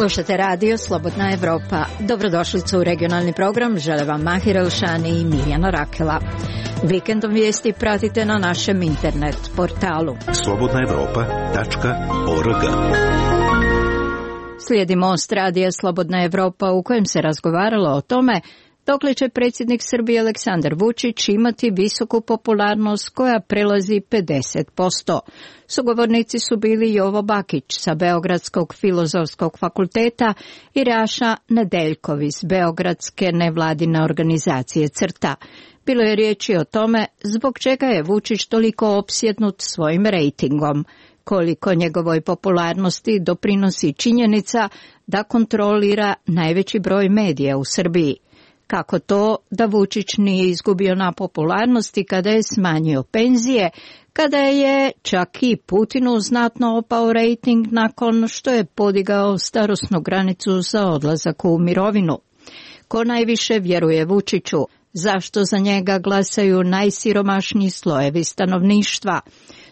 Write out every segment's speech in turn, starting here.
Slušate radio Slobodna Evropa. Dobrodošlicu u regionalni program. Žele vam Mahir Elšani i Mirjana Rakela. Vikendom vijesti pratite na našem internet portalu slobodnaevropa.org. Slijedi most radija Slobodna Evropa u kojem se razgovaralo o tome dokle će predsjednik Srbije Aleksandar Vučić imati visoku popularnost koja prelazi 50%. Sugovornici su bili Jovo Bakić sa Beogradskog filozofskog fakulteta i Raša Nedeljkov iz Beogradske nevladine organizacije CRTA. Bilo je riječi o tome zbog čega je Vučić toliko opsjednut svojim rejtingom, koliko njegovoj popularnosti doprinosi činjenica da kontrolira najveći broj medija u Srbiji. Kako to da Vučić nije izgubio na popularnosti kada je smanjio penzije, kada je čak i Putinu znatno opao rejting nakon što je podigao starosnu granicu za odlazak u mirovinu. Ko najviše vjeruje Vučiću? Zašto za njega glasaju najsiromašniji slojevi stanovništva?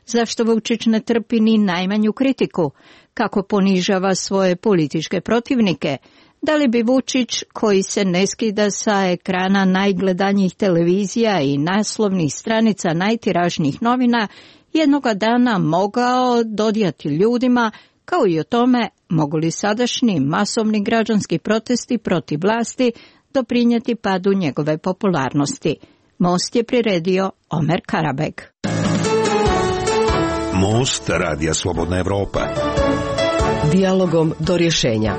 Zašto Vučić ne trpi ni najmanju kritiku? Kako ponižava svoje političke protivnike? Da li bi Vučić, koji se ne skida sa ekrana najgledanijih televizija i naslovnih stranica najtiražnijih novina, jednoga dana mogao dodijati ljudima, kao i o tome mogu li sadašnji masovni građanski protesti protiv vlasti doprinijeti padu njegove popularnosti? Most je priredio Omer Karabeg. Most radija Slobodna Evropa. Dijalogom do rješenja.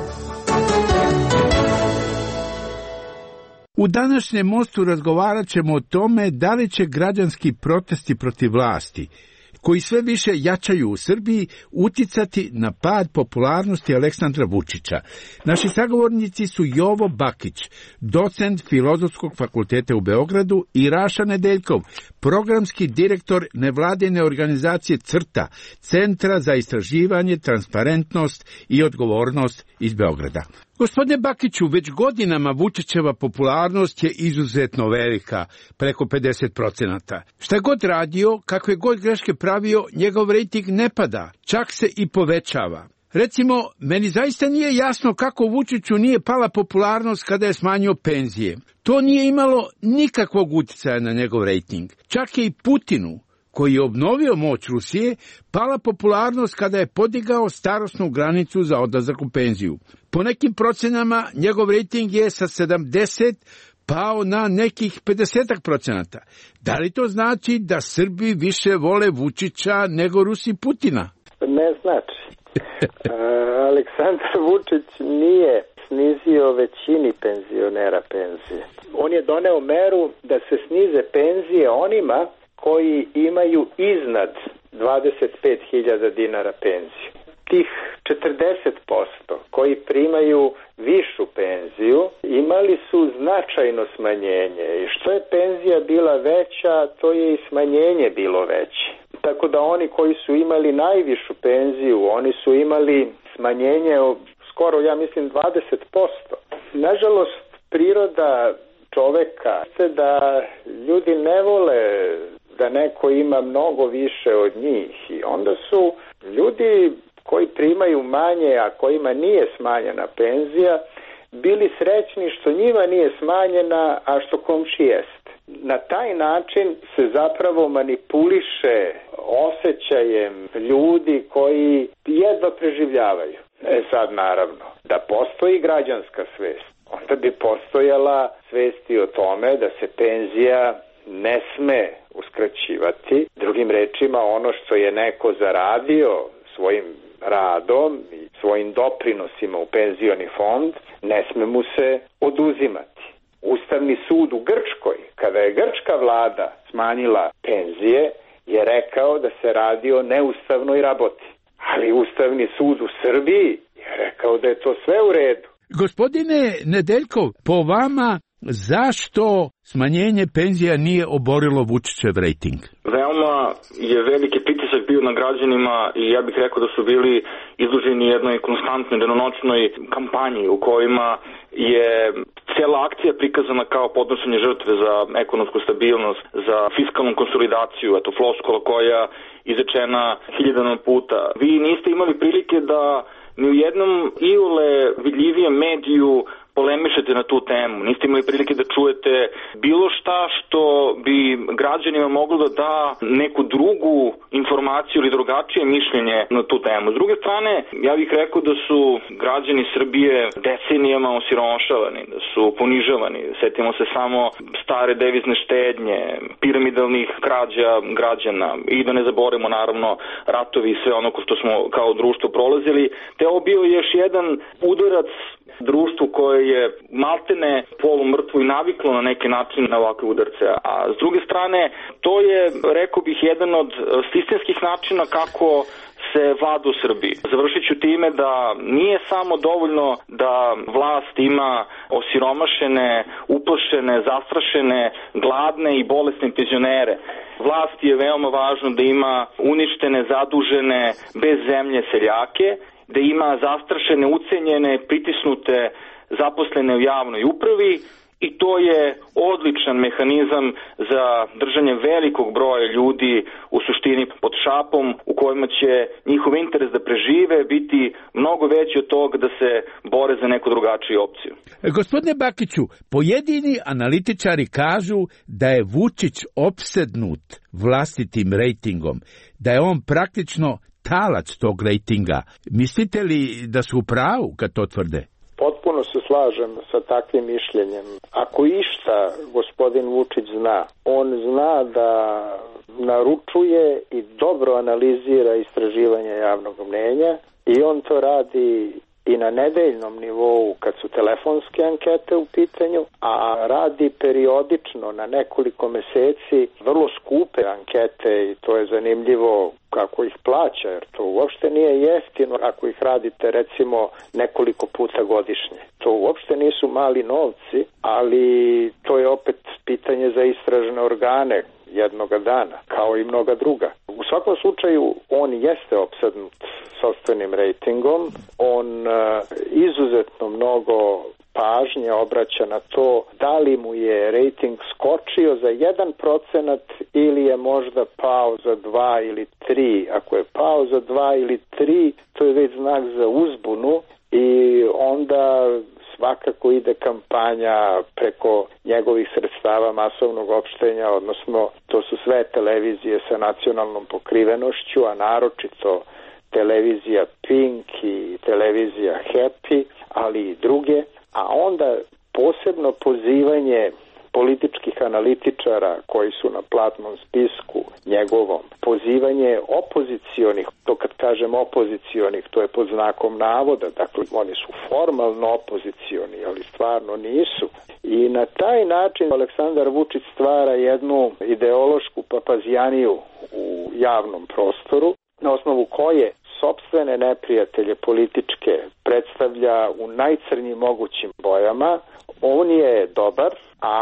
U današnjem mostu razgovarat ćemo o tome da li će građanski protesti protiv vlasti, koji sve više jačaju u Srbiji, uticati na pad popularnosti Aleksandra Vučića. Naši sagovornici su Jovo Bakić, docent Filozofskog fakulteta u Beogradu, i Raša Nedeljkov, programski direktor nevladine organizacije CRTA, Centra za istraživanje, transparentnost i odgovornost iz Beograda. Gospodine Bakiću, već godinama Vučićeva popularnost je izuzetno velika, preko 50%. Šta god radio, kakve god greške pravio, njegov rejting ne pada, čak se i povećava. Recimo, meni zaista nije jasno kako Vučiću nije pala popularnost kada je smanjio penzije. To nije imalo nikakvog utjecaja na njegov rejting. Čak je i Putinu, koji je obnovio moć Rusije, pala popularnost kada je podigao starosnu granicu za odlazak u penziju. Po nekim procenama njegov rejting je sa 70 pao na nekih 50%. Da li to znači da Srbi više vole Vučića nego Rusi Putina? Ne znači. Aleksandar Vučić nije snizio većini penzionera penzije. On je doneo meru da se snize penzije onima koji imaju iznad 25.000 dinara penziju. Tih 40% koji primaju višu penziju imali su značajno smanjenje i što je penzija bila veća, to je i smanjenje bilo veće. Tako da oni koji su imali najvišu penziju, oni su imali smanjenje skoro, ja mislim, 20%. Nažalost, priroda čoveka je da ljudi ne vole da neko ima mnogo više od njih i onda su ljudi koji primaju manje, a kojima nije smanjena penzija, bili srećni što njima nije smanjena, a što komši jest. Na taj način se zapravo manipuliše osjećajem ljudi koji jedva preživljavaju. Sad naravno, da postoji građanska svest, onda bi postojala svest i o tome da se penzija ne sme uskraćivati. Drugim rečima, ono što je neko zaradio svojim radom i svojim doprinosima u penzioni fond, ne sme mu se oduzimati. Ustavni sud u Grčkoj, kada je grčka vlada smanjila penzije, je rekao da se radi o neustavnoj raboti. Ali Ustavni sud u Srbiji je rekao da je to sve u redu. Gospodine Nedeljkov, po vama, zašto smanjenje penzija nije oborilo Vučićev rejting? Veoma je veliki pritisak bio na građanima i ja bih rekao da su bili izloženi jednoj konstantnoj danonoćnoj kampanji u kojima je cijela akcija prikazana kao podnošenje žrtve za ekonomsku stabilnost, za fiskalnu konsolidaciju, eto floskula koja izrečena hiljadama puta. Vi niste imali prilike da ni u jednom iole vidljivijem mediju polemišete na tu temu. Niste imali prilike da čujete bilo šta što bi građanima moglo da da neku drugu informaciju ili drugačije mišljenje na tu temu. S druge strane, ja bih rekao da su građani Srbije decenijama osiromašavani, da su ponižavani. Setimo se samo stare devizne štednje, piramidalnih krađa građana i da ne zaboravimo naravno ratovi i sve ono što smo kao društvo prolazili. Te ovo bio još jedan udarac društvu koje je maltene polumrtvo i naviklo na neki način na ovakve udarce. A s druge strane, to je, rekao bih, jedan od sistemskih načina kako se vlada u Srbiji. Završit ću time da nije samo dovoljno da vlast ima osiromašene, uplašene, zastrašene, gladne i bolesne penzionere. Vlast je veoma važno da ima uništene, zadužene, bez zemlje seljake, da ima zastrašene, ucenjene, pritisnute zaposlene u javnoj upravi i to je odličan mehanizam za držanje velikog broja ljudi u suštini pod šapom u kojima će njihov interes da prežive biti mnogo veći od toga da se bore za neku drugačiju opciju. Gospodine Bakiću, pojedini analitičari kažu da je Vučić opsednut vlastitim rejtingom, da je on praktično talac tog rejtinga. Mislite li da su u pravu kad to tvrde? Potpuno se slažem sa takvim mišljenjem. Ako išta gospodin Vučić zna, on zna da naručuje i dobro analizira istraživanje javnog mnjenja i on to radi i na nedeljnom nivou kad su telefonske ankete u pitanju, a radi periodično na nekoliko meseci vrlo skupe ankete i to je zanimljivo kako ih plaća, jer to uopšte nije jeftino ako ih radite recimo nekoliko puta godišnje. To uopšte nisu mali novci, ali to je opet pitanje za istražne organe jednoga dana, kao i mnoga druga. U svakom slučaju, on jeste opsednut sopstvenim rejtingom, on izuzetno mnogo pažnje obraća na to da li mu je rejting skočio za 1% ili je možda pao za 2 ili 3. Ako je pao za 2 ili 3, to je već znak za uzbunu i onda svakako ide kampanja preko njegovih sredstava masovnog opštenja, odnosno to su sve televizije sa nacionalnom pokrivenošću, a naročito televizija Pink i televizija Happy, ali i druge, a onda posebno pozivanje političkih analitičara koji su na platnom spisku njegovom, pozivanje opozicionih, to kad kažem opozicionih, to je pod znakom navoda, dakle oni su formalno opozicioni, ali stvarno nisu. I na taj način Aleksandar Vučić stvara jednu ideološku papazijaniju u javnom prostoru, na osnovu koje sopstvene neprijatelje političke predstavlja u najcrnjim mogućim bojama. On je dobar, a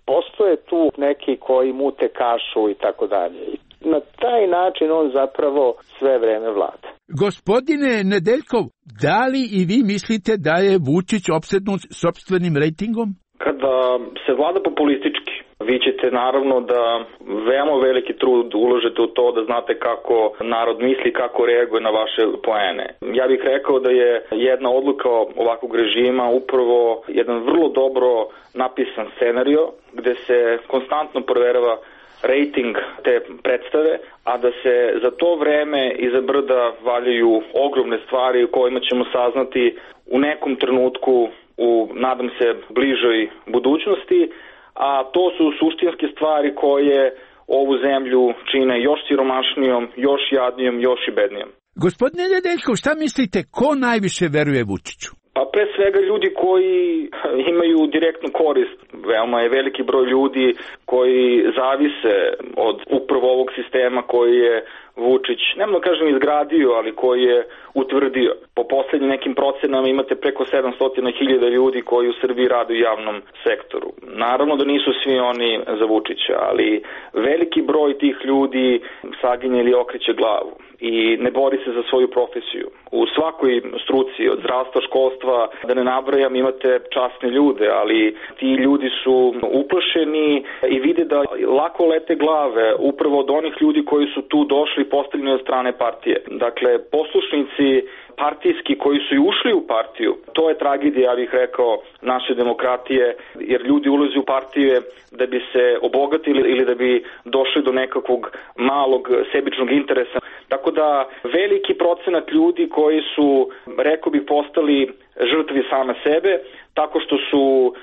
postoje tu neki koji mute kašu i tako dalje. Na taj način on zapravo sve vreme vlada. Gospodine Nedeljkov, da li i vi mislite da je Vučić opsednut sopstvenim rejtingom? Kada se vlada populistički, vi ćete naravno da veoma veliki trud uložete u to da znate kako narod misli, kako reaguje na vaše poene. Ja bih rekao da je jedna odluka ovakvog režima upravo jedan vrlo dobro napisan scenario gde se konstantno proverava rejting te predstave, a da se za to vreme iza brda valjaju ogromne stvari u kojima ćemo saznati u nekom trenutku u, nadam se, bližoj budućnosti, a to su suštinske stvari koje ovu zemlju čine još siromašnijom, još jadnijom, još i bednijom. Gospodine Nedeljkov, šta mislite, ko najviše veruje Vučiću? Pa pre svega ljudi koji imaju direktnu korist. Veoma je veliki broj ljudi koji zavise od upravo ovog sistema koji je Vučić, nemoj kažem izgradio, ali koji je utvrdio. Po poslednjim nekim procenama imate preko 700.000 ljudi koji u Srbiji rade u javnom sektoru. Naravno da nisu svi oni za Vučića, ali veliki broj tih ljudi saginje ili okreće glavu. i ne bori se za svoju profesiju. U svakoj struci, od zdravstva, školstva, da ne nabrajam, imate časne ljude, ali ti ljudi su uplašeni i vide da lako lete glave upravo od onih ljudi koji su tu došli postavljeni od strane partije. Dakle, poslušnici partijski koji su i ušli u partiju, to je tragedija, ja bih rekao, naše demokratije, jer ljudi ulaze u partije da bi se obogatili ili da bi došli do nekakvog malog sebičnog interesa. Tako da veliki procenat ljudi koji su, rekao bih, postali žrtvi same sebe, tako što su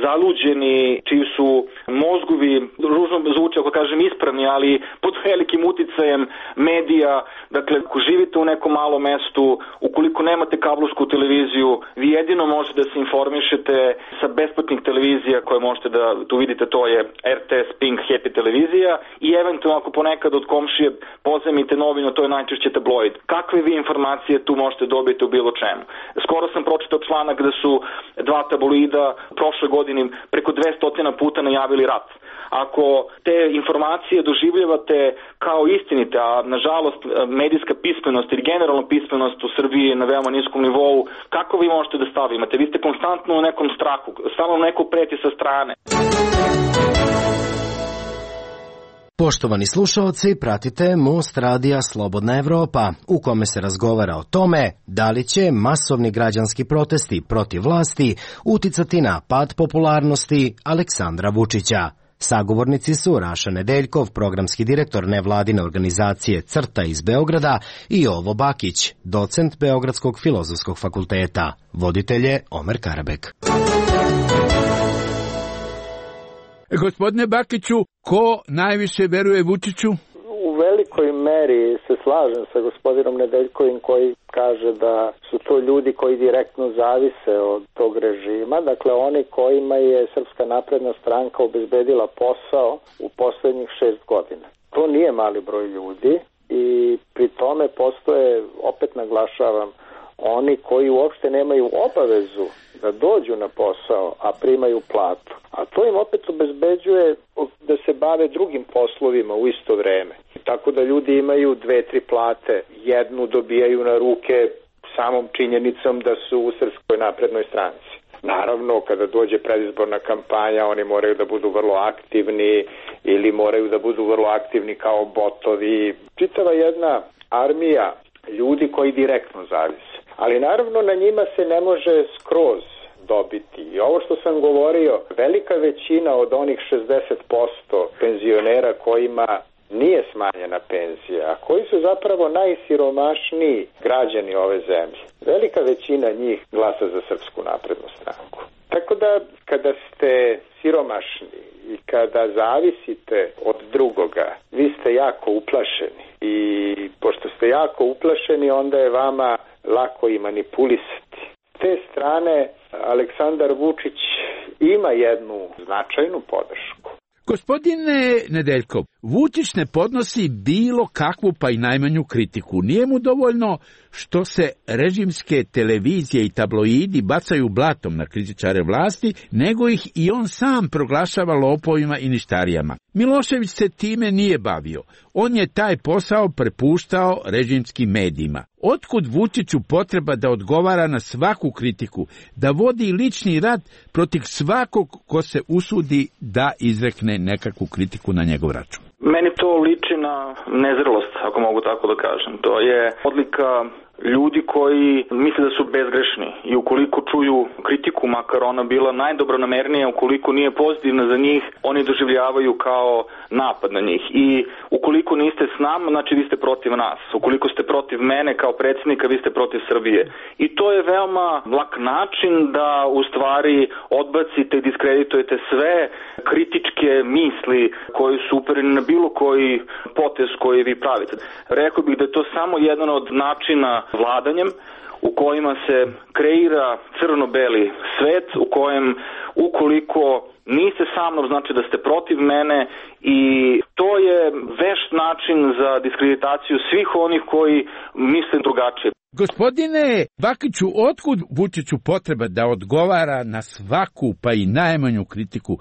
zaluđeni, čiji su mozgovi, ružno zvuči ako kažem ispravni, ali pod velikim uticajem medija. Dakle, ako živite u nekom malom mestu, ukoliko nemate kablovsku televiziju, vi jedino možete da se informišete sa besplatnih televizija koje možete da tu vidite, to je RTS, Pink, Happy televizija i eventualno ako ponekad od komšije pozajmite novinu, to je najčešće tabloid. Kakve vi informacije tu možete dobiti u bilo čemu? Skoro sam pročitao članak da su dva tabloida prošle godine preko 200 puta najavili rat. Ako te informacije doživljavate kao istinite, a nažalost medijska pismenost ili generalno pismenost u Srbiji je na veoma niskom nivou, kako vi možete da stavimate? Vi ste konstantno u nekom strahu, stalno neko preti sa strane. Poštovani slušaoci, pratite Most radija Slobodna Evropa, u kome se razgovara o tome da li će masovni građanski protesti protiv vlasti uticati na pad popularnosti Aleksandra Vučića. Sagovornici su Raša Nedeljkov, programski direktor nevladine organizacije CRTA iz Beograda, i Jovo Bakić, docent Beogradskog filozofskog fakulteta. Voditelj je Omer Karabek. Gospodine Bakiću, ko najviše veruje Vučiću? U velikoj meri se slažem sa gospodinom Nedeljkovim koji kaže da su to ljudi koji direktno zavise od tog režima. Dakle, oni kojima je Srpska napredna stranka obezbedila posao u poslednjih 6 godina. To nije mali broj ljudi i pri tome postoje, opet naglašavam, oni koji uopšte nemaju obavezu da dođu na posao, a primaju platu. A to im opet obezbeđuje da se bave drugim poslovima u isto vreme. Tako da ljudi imaju 2-3 plate. Jednu dobijaju na ruke samom činjenicom da su u Srpskoj naprednoj stranci. Naravno, kada dođe predizborna kampanja, oni moraju da budu vrlo aktivni ili moraju da budu vrlo aktivni kao botovi. Čitava jedna armija ljudi koji direktno zavise. Ali naravno na njima se ne može skroz dobiti. I ovo što sam govorio, velika većina od onih 60% penzionera kojima nije smanjena penzija, a koji su zapravo najsiromašniji građani ove zemlje. Velika većina njih glasa za Srpsku naprednu stranku. Tako da kada ste siromašni i kada zavisite od drugoga, vi ste jako uplašeni. I pošto ste jako uplašeni, onda je vama lako i manipulisati. S te strane, Aleksandar Vučić ima jednu značajnu podršku. Gospodine Nedeljkov, Vučić ne podnosi bilo kakvu pa i najmanju kritiku. Nije mu dovoljno što se režimske televizije i tabloidi bacaju blatom na kritičare vlasti, nego ih i on sam proglašava lopovima i ništarijama. Milošević se time nije bavio. On je taj posao prepuštao režimskim medijima. Otkud Vučiću potreba da odgovara na svaku kritiku, da vodi lični rat protiv svakog ko se usudi da izrekne nekakvu kritiku na njegov račun? Meni to liči na nezrelost, ako mogu tako da kažem. To je odlika ljudi koji misle da su bezgrešni i ukoliko čuju kritiku, makar ona bila najdobronamernija, ukoliko nije pozitivna za njih, oni doživljavaju kao napad na njih. I ukoliko niste s nama, znači vi ste protiv nas. Ukoliko ste protiv mene kao predsjednika, vi ste protiv Srbije. I to je veoma lak način da u stvari odbacite i diskreditujete sve kritičke misli koji su upereni na bilo koji potez koji vi pravite. Rekao bih da je to samo jedan od načina vladanjem u kojima se kreira crno-beli svet, u kojem ukoliko niste sa mnom, znači da ste protiv mene, i to je vešt način za diskreditaciju svih onih koji misle drugačije. Gospodine Bakiću, otkud Vučiću potreba da odgovara na svaku pa i najmanju kritiku,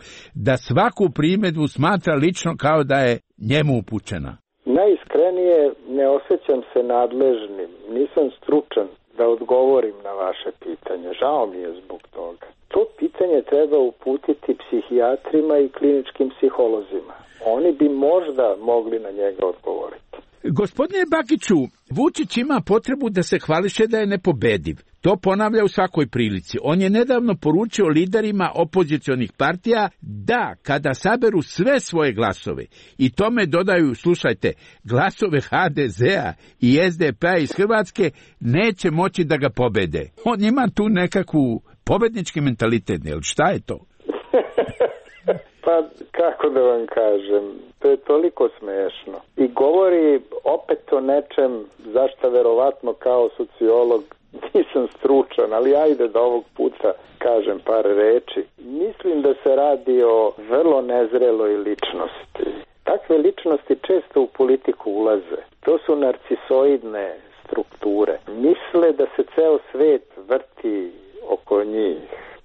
da svaku primedbu smatra lično kao da je njemu upućena? Najiskrenije ne ne osjećam se nadležnim, nisam stručan da odgovorim na vaše pitanje. Žao mi je zbog toga. To pitanje treba uputiti psihijatrima i kliničkim psiholozima. Oni bi možda mogli na njega odgovoriti. Gospodine Bakiću, Vučić ima potrebu da se hvališe da je nepobediv. To ponavlja u svakoj prilici. On je nedavno poručio liderima opozicionih partija da kada saberu sve svoje glasove i tome dodaju, slušajte, glasove HDZ-a i SDP-a iz Hrvatske, neće moći da ga pobede. On ima tu nekakvu pobednički mentalitet, ne? Šta je to? Pa, kako da vam kažem, to je toliko smešno. I govori opet o nečem zašto verovatno kao sociolog nisam stručan, ali ajde da ovog puta kažem par reči. Mislim da se radi o vrlo nezreloj ličnosti. Takve ličnosti često u politiku ulaze. To su narcisoidne strukture. Misle da se ceo svet vrti oko njih.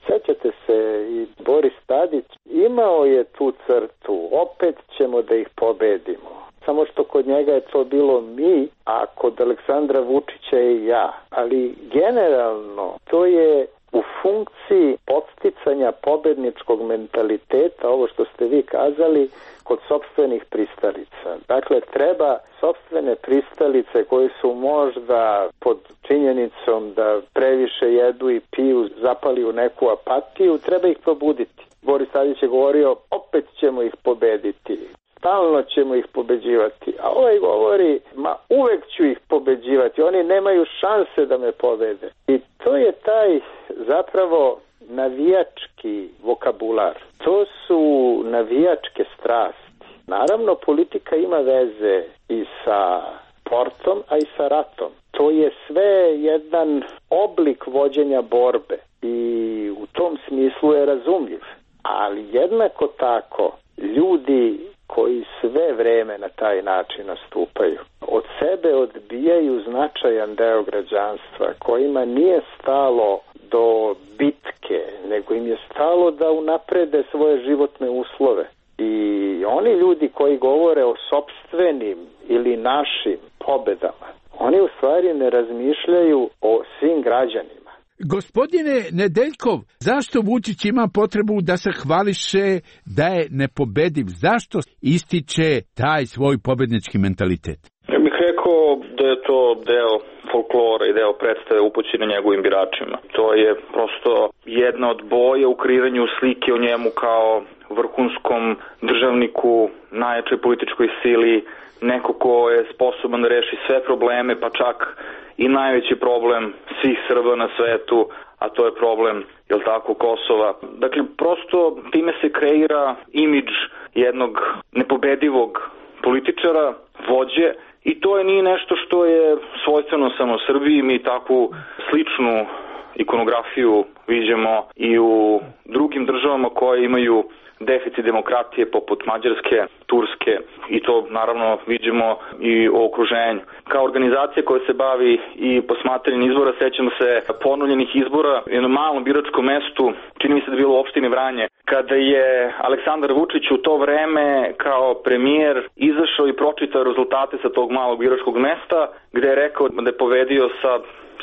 Sećate se, i Boris Tadić imao je tu crtu, opet ćemo da ih pobedimo. Samo što kod njega je to bilo mi, a kod Aleksandra Vučića je ja. Ali generalno to je u funkciji podsticanja pobedničkog mentaliteta, ovo što ste vi kazali, kod sopstvenih pristalica. Dakle, treba sopstvene pristalice koje su možda pod činjenicom da previše jedu i piju, zapali u neku apatiju, treba ih probuditi. Boris Tadić je govorio, opet ćemo ih pobediti. Stalno ćemo ih pobeđivati. A ovaj govori, ma uvek ću ih pobeđivati. Oni nemaju šanse da me pobede. I to je taj zapravo navijački vokabular. To su navijačke strasti. Naravno, politika ima veze i sa sportom, a i sa ratom. To je sve jedan oblik vođenja borbe i u tom smislu je razumljiv. Ali jednako tako, ljudi koji sve vreme na taj način nastupaju, od sebe odbijaju značajan deo građanstva, kojima nije stalo do bitke, nego im je stalo da unaprede svoje životne uslove. I oni ljudi koji govore o sopstvenim ili našim pobedama, oni u stvari ne razmišljaju o svim građanima. Gospodine Nedeljkov, zašto Vučić ima potrebu da se hvališe da je nepobediv? Zašto ističe taj svoj pobednički mentalitet? Ja bih rekao da je to deo folklora i deo predstave upućene njegovim biračima. To je prosto jedna od boja u kreiranju slike o njemu kao vrhunskom državniku, najjačoj političkoj sili, neko ko je sposoban da reši sve probleme, pa čak i najveći problem svih Srba na svetu, a to je problem, jel tako, Kosova. Dakle, prosto time se kreira imidž jednog nepobedivog političara, vođe, i to je nije nešto što je svojstveno samo Srbiji. Mi takvu sličnu ikonografiju viđamo i u drugim državama koje imaju deficit demokratije poput Mađarske, Turske, i to naravno viđemo i u okruženju. Kao organizacija koja se bavi i posmatranjem izbora, sećamo se ponovljenih izbora u jednom malom biračkom mestu, čini mi se da je bilo u opštini Vranje, kada je Aleksandar Vučić u to vreme kao premijer izašao i pročitao rezultate sa tog malog biračkog mesta, gde je rekao da je pobedio sa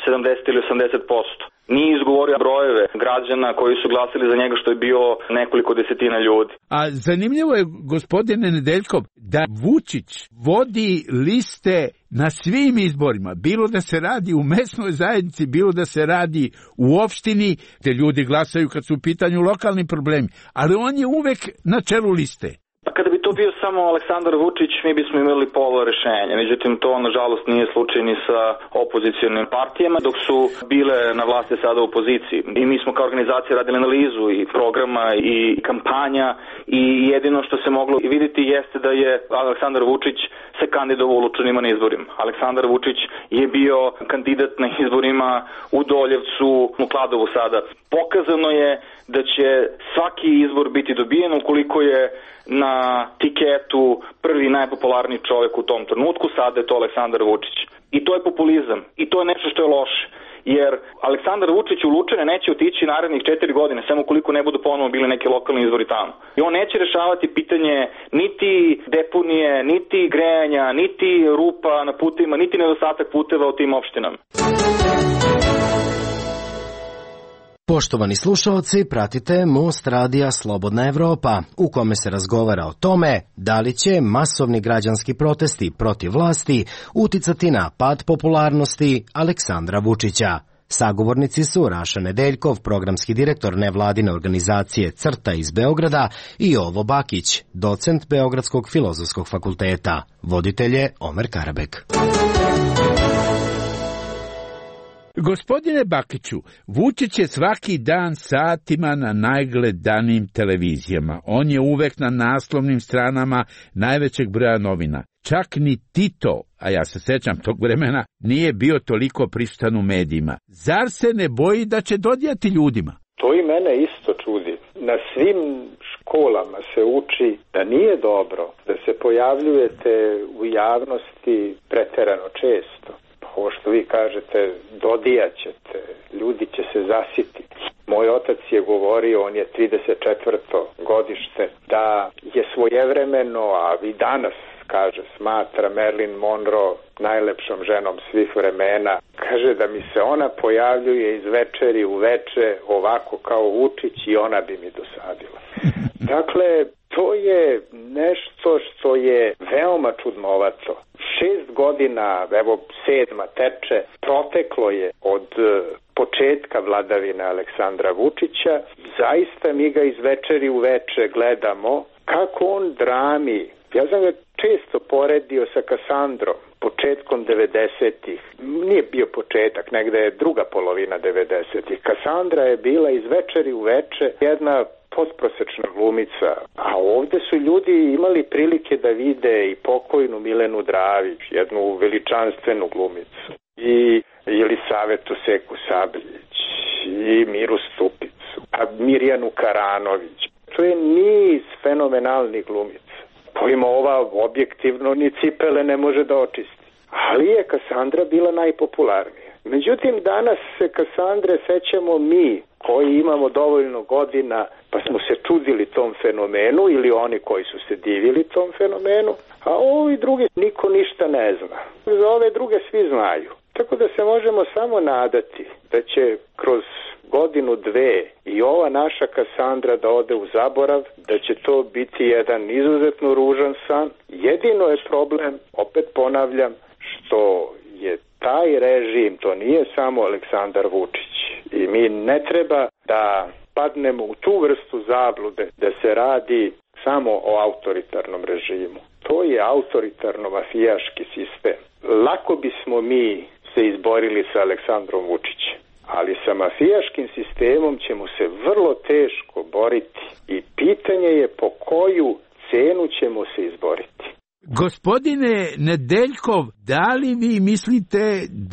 70 ili 80%. Nije izgovorio brojeve građana koji su glasili za njega, što je bilo nekoliko desetina ljudi. A zanimljivo je, gospodine Nedeljkov, da Vučić vodi liste na svim izborima, bilo da se radi u mesnoj zajednici, bilo da se radi u opštini, te ljudi glasaju kad su u pitanju lokalni problemi, ali on je uvek na čelu liste. Kada bi to bio samo Aleksandar Vučić, mi bismo imali pola rešenja. Međutim, to nažalost nije slučaj ni sa opozicionim partijama, dok su bile na vlasti sada u opoziciji. I mi smo kao organizacija radili analizu i programa i kampanja, i jedino što se moglo vidjeti jeste da je Aleksandar Vučić se kandidovao u Lučanima na izborima. Aleksandar Vučić je bio kandidat na izborima u Doljevcu, u Kladovu sada. Pokazano je da će svaki izbor biti dobijen ukoliko je na tiketu prvi najpopularniji čovjek u tom trenutku, sada je to Aleksandar Vučić. I to je populizam. I to je nešto što je loše. Jer Aleksandar Vučić u Lučane neće otići narednih 4 godine, samo ukoliko ne budu ponovo bili neki lokalni izvori tamo. I on neće rešavati pitanje niti deponije, niti grejanja, niti rupa na putevima, niti nedostatak puteva u tim opštinama. Poštovani slušaoci, pratite Most radija Slobodna Evropa, u kome se razgovara o tome da li će masovni građanski protesti protiv vlasti uticati na pad popularnosti Aleksandra Vučića. Sagovornici su Raša Nedeljkov, programski direktor nevladine organizacije CRTA iz Beograda, i Jovo Bakić, docent Beogradskog filozofskog fakulteta. Voditelj je Omer Karabek. Gospodine Bakiću, Vučić je svaki dan satima na najgledanijim televizijama. On je uvek na naslovnim stranama najvećeg broja novina. Čak ni Tito, a ja se sećam tog vremena, nije bio toliko prisutan u medijima. Zar se ne boji da će dodijati ljudima? To i mene isto čudi. Na svim školama se uči da nije dobro da se pojavljujete u javnosti preterano često. Ovo što vi kažete, dodijaćete, ljudi će se zasititi. Moj otac je govorio, on je 34. godište, da je svojevremeno, a i danas, kaže, smatra Marilyn Monroe najlepšom ženom svih vremena. Kaže da mi se ona pojavljuje iz večeri u veče ovako kao Vučić i ona bi mi dosadila. Dakle, to je nešto što je veoma čudnovato. 6 godina, evo 7. teče, proteklo je od početka vladavine Aleksandra Vučića. Zaista mi ga iz večeri u veče gledamo kako on drami. Ja sam ga često poredio sa Kasandrom, početkom 90-ih. Nije bio početak, negde je druga polovina 90-ih. Kasandra je bila iz večeri u veče jedna potprosečna glumica, a ovde su ljudi imali prilike da vide i pokojnu Milenu Dravić, jednu veličanstvenu glumicu, i Jelisavetu Seku Sabljić, i Miru Stupicu, a Mirjanu Karanović. To je niz fenomenalnih glumica, kojima ova objektivno ni cipele ne može da očisti. Ali je Kasandra bila najpopularnija. Međutim, danas se Kasandre sećamo mi, koji imamo dovoljno godina, pa smo se čudili tom fenomenu, ili oni koji su se divili tom fenomenu, a ovi drugi niko ništa ne zna. Za ove druge svi znaju. Tako da se možemo samo nadati da će kroz godinu, dve i ova naša Kasandra da ode u zaborav, da će to biti jedan izuzetno ružan san. Jedino je problem, opet ponavljam, što je taj režim, to nije samo Aleksandar Vučić. I mi ne treba da padnemo u tu vrstu zablude da se radi samo o autoritarnom režimu. To je autoritarno-mafijaški sistem. Lako bismo mi se izborili sa Aleksandrom Vučićem, ali sa mafijaškim sistemom ćemo se vrlo teško boriti i pitanje je po koju cenu ćemo se izboriti. Gospodine Nedeljkov, da li vi mislite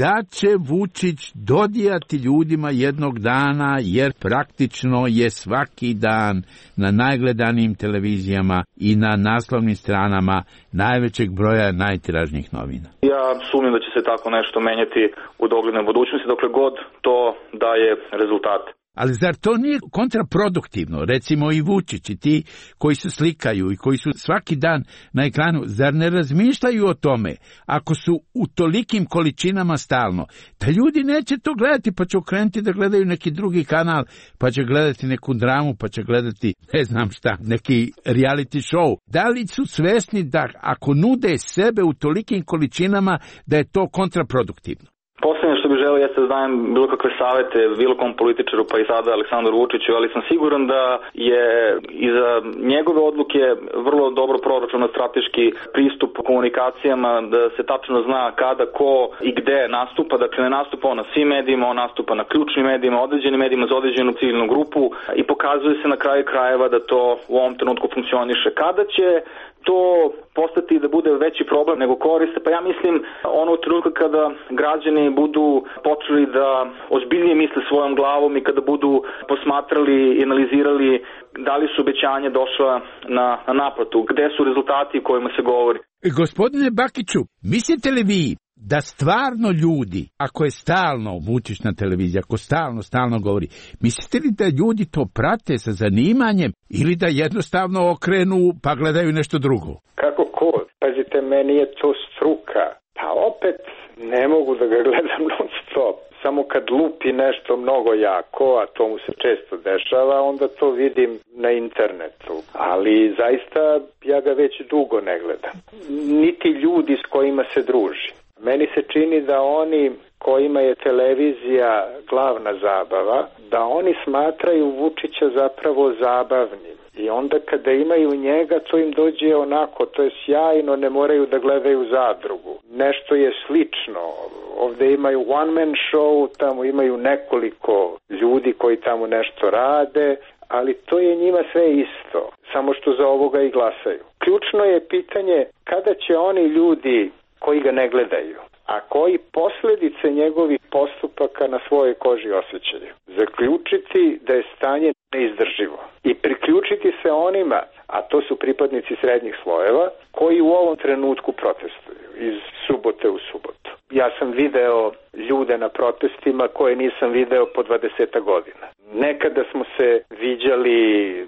da će Vučić dodijati ljudima jednog dana, jer praktično je svaki dan na najgledanijim televizijama i na naslovnim stranama najvećeg broja najtiražnijih novina? Ja sumnjam da će se tako nešto menjati u doglednoj budućnosti, dokle god to daje rezultate. Ali zar to nije kontraproduktivno? Recimo i Vučić i ti koji se slikaju i koji su svaki dan na ekranu, zar ne razmišljaju o tome, ako su u tolikim količinama stalno, da ljudi neće to gledati, pa će okrenuti da gledaju neki drugi kanal, pa će gledati neku dramu, pa će gledati, ne znam šta, neki reality show. Da li su svesni da ako nude sebe u tolikim količinama, da je to kontraproduktivno? Poslednje što bih želeo jeste da dajem bilo kakve savete bilo kom političaru, pa i sada Aleksandru Vučiću, ali sam siguran da je iza njegove odluke vrlo dobro proračunat strateški pristup komunikacijama, da se tačno zna kada, ko i gde nastupa. Dakle, ne nastupa on na svim medijima, on nastupa na ključnim medijima, određenim medijima za određenu ciljnu grupu i pokazuje se na kraju krajeva da to u ovom trenutku funkcioniše. Kada će to postati da bude veći problem nego koriste, pa ja mislim ono u trenutku kada građani budu počeli da ozbiljnije misle svojom glavom i kada budu posmatrali i analizirali da li su obećanja došla na naplatu, gde su rezultati o kojima se govori. Gospodine Bakiću, mislite li vi da stvarno ljudi, ako je stalno Vučić na televiziji, ako stalno govori, mislite li da ljudi to prate sa zanimanjem ili da jednostavno okrenu pa gledaju nešto drugo? Kako ko? Pazite, meni je to struka. Pa opet ne mogu da ga gledam non stop. Samo kad lupi nešto mnogo jako, a to mu se često dešava, onda to vidim na internetu. Ali zaista ja ga već dugo ne gledam. Niti ljudi s kojima se druži. Meni se čini da oni kojima je televizija glavna zabava, da oni smatraju Vučića zapravo zabavnim. I onda kada imaju njega, to im dođe onako, to je sjajno, ne moraju da gledaju Zadrugu. Nešto je slično. Ovde imaju one man show, tamo imaju nekoliko ljudi koji tamo nešto rade, ali to je njima sve isto, samo što za ovoga i glasaju. Ključno je pitanje kada će oni ljudi koji ga ne gledaju, a koji posljedice njegovih postupaka na svojoj koži osjećaju, zaključiti da je stanje neizdrživo i priključiti se onima, a to su pripadnici srednjih slojeva, koji u ovom trenutku protestuju iz subote u subotu. Ja sam video ljude na protestima koje nisam video po 20 godina. Nekada smo se viđali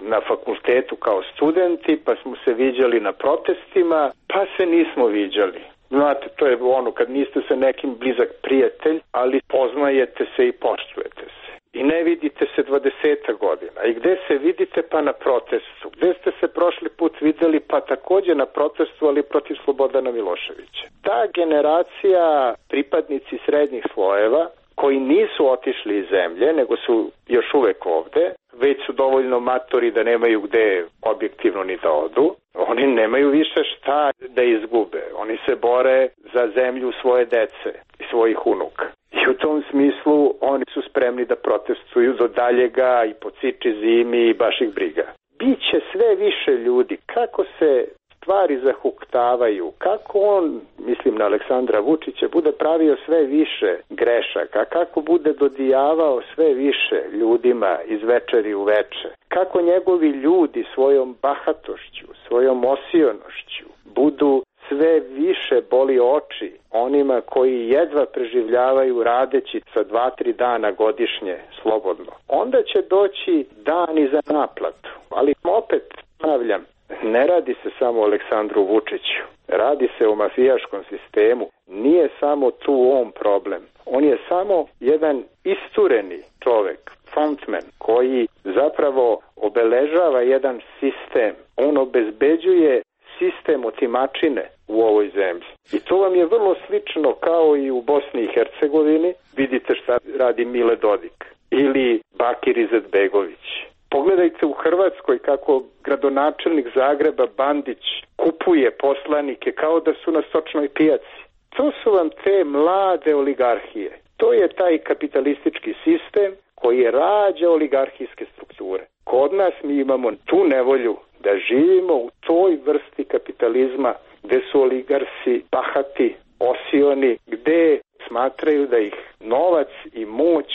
na fakultetu kao studenti, pa smo se viđali na protestima, pa se nismo viđali. Znate, to je ono kad niste sa nekim blizak prijatelj, ali poznajete se i poštujete se. I ne vidite se 20 godina. I gde se vidite? Pa na protestu. Gde ste se prošli put videli? Pa takođe na protestu, ali protiv Slobodana Miloševića. Ta generacija pripadnici srednjih slojeva koji nisu otišli iz zemlje, nego su još uvek ovde, već su dovoljno matori da nemaju gde objektivno ni da odu, oni nemaju više šta da izgube. Oni se bore za zemlju svoje dece i svojih unuka. I u tom smislu oni su spremni da protestuju do daljega i po ciči zimi i baš ih briga. Biće sve više ljudi. Kako se stvari zahuktavaju, kako on, mislim na Aleksandra Vučića, bude pravio sve više grešaka, kako bude dodijavao sve više ljudima iz večeri u veče, kako njegovi ljudi svojom bahatošću, svojom osionošću budu sve više boli oči onima koji jedva preživljavaju radeći sa 2-3 dana godišnje slobodno. Onda će doći dani za naplatu. Ali opet ponavljam, ne radi se samo o Aleksandru Vučiću. Radi se o mafijaškom sistemu. Nije samo tu on problem. On je samo jedan istureni čovek, frontman, koji zapravo obeležava jedan sistem. On obezbeđuje sistem otimačine u ovoj zemlji. I to vam je vrlo slično kao i u Bosni i Hercegovini. Vidite šta radi Mile Dodik ili Bakir Izetbegović. Pogledajte u Hrvatskoj kako gradonačelnik Zagreba Bandić kupuje poslanike kao da su na stočnoj pijaci. To su vam te mlade oligarhije. To je taj kapitalistički sistem koji rađa oligarhijske strukture. Kod nas mi imamo tu nevolju da živimo u toj vrsti kapitalizma gde su oligarsi bahati, osioni, gde smatraju da ih novac i moć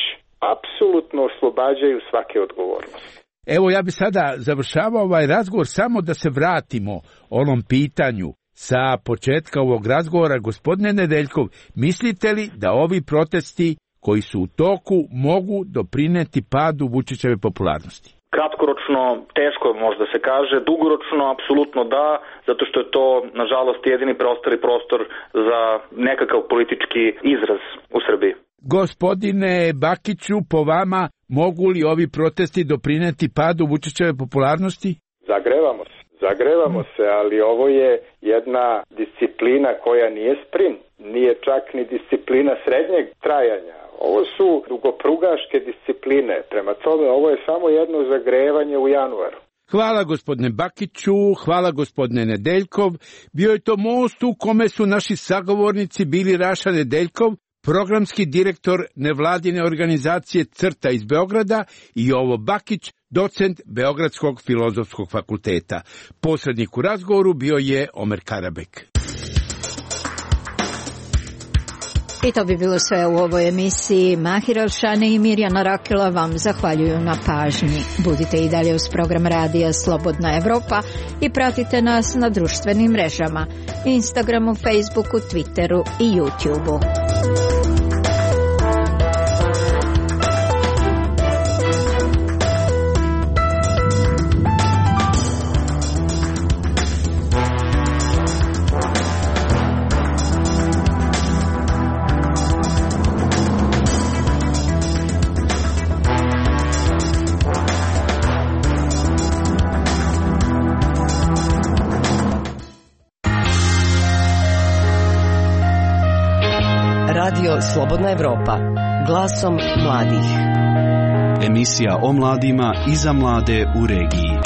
apsolutno oslobađaju svake odgovornosti. Evo ja bi sada završavao ovaj razgovor samo da se vratimo onom pitanju sa početka ovog razgovora. Gospodine Nedeljkov, mislite li da ovi protesti koji su u toku mogu doprineti padu Vučićeve popularnosti? Kratkoročno teško možda se kaže, dugoročno apsolutno da, zato što je to nažalost jedini preostali prostor za nekakav politički izraz u Srbiji. Gospodine Bakiću, po vama mogu li ovi protesti doprineti padu Vučićeve popularnosti? Zagrevamo se, ali ovo je jedna disciplina koja nije sprint, nije čak ni disciplina srednjeg trajanja. Ovo su dugoprugaške discipline, prema tome ovo je samo jedno zagrevanje u januaru. Hvala gospodine Bakiću, hvala gospodine Nedeljkov. Bio je to most u kome su naši sagovornici bili Raša Nedeljkov, programski direktor nevladine organizacije CRTA iz Beograda, i Jovo Bakić, docent Beogradskog filozofskog fakulteta. Posrednik u razgovoru bio je Omer Karabek. I to bi bilo sve u ovoj emisiji. Mahir Alšani i Mirjana Rakela vam zahvaljuju na pažnji. Budite i dalje uz program radija Slobodna Evropa i pratite nas na društvenim mrežama, Instagramu, Facebooku, Twitteru i YouTubeu. Radio Slobodna Evropa, glasom mladih. Emisija o mladima i za mlade u regiji.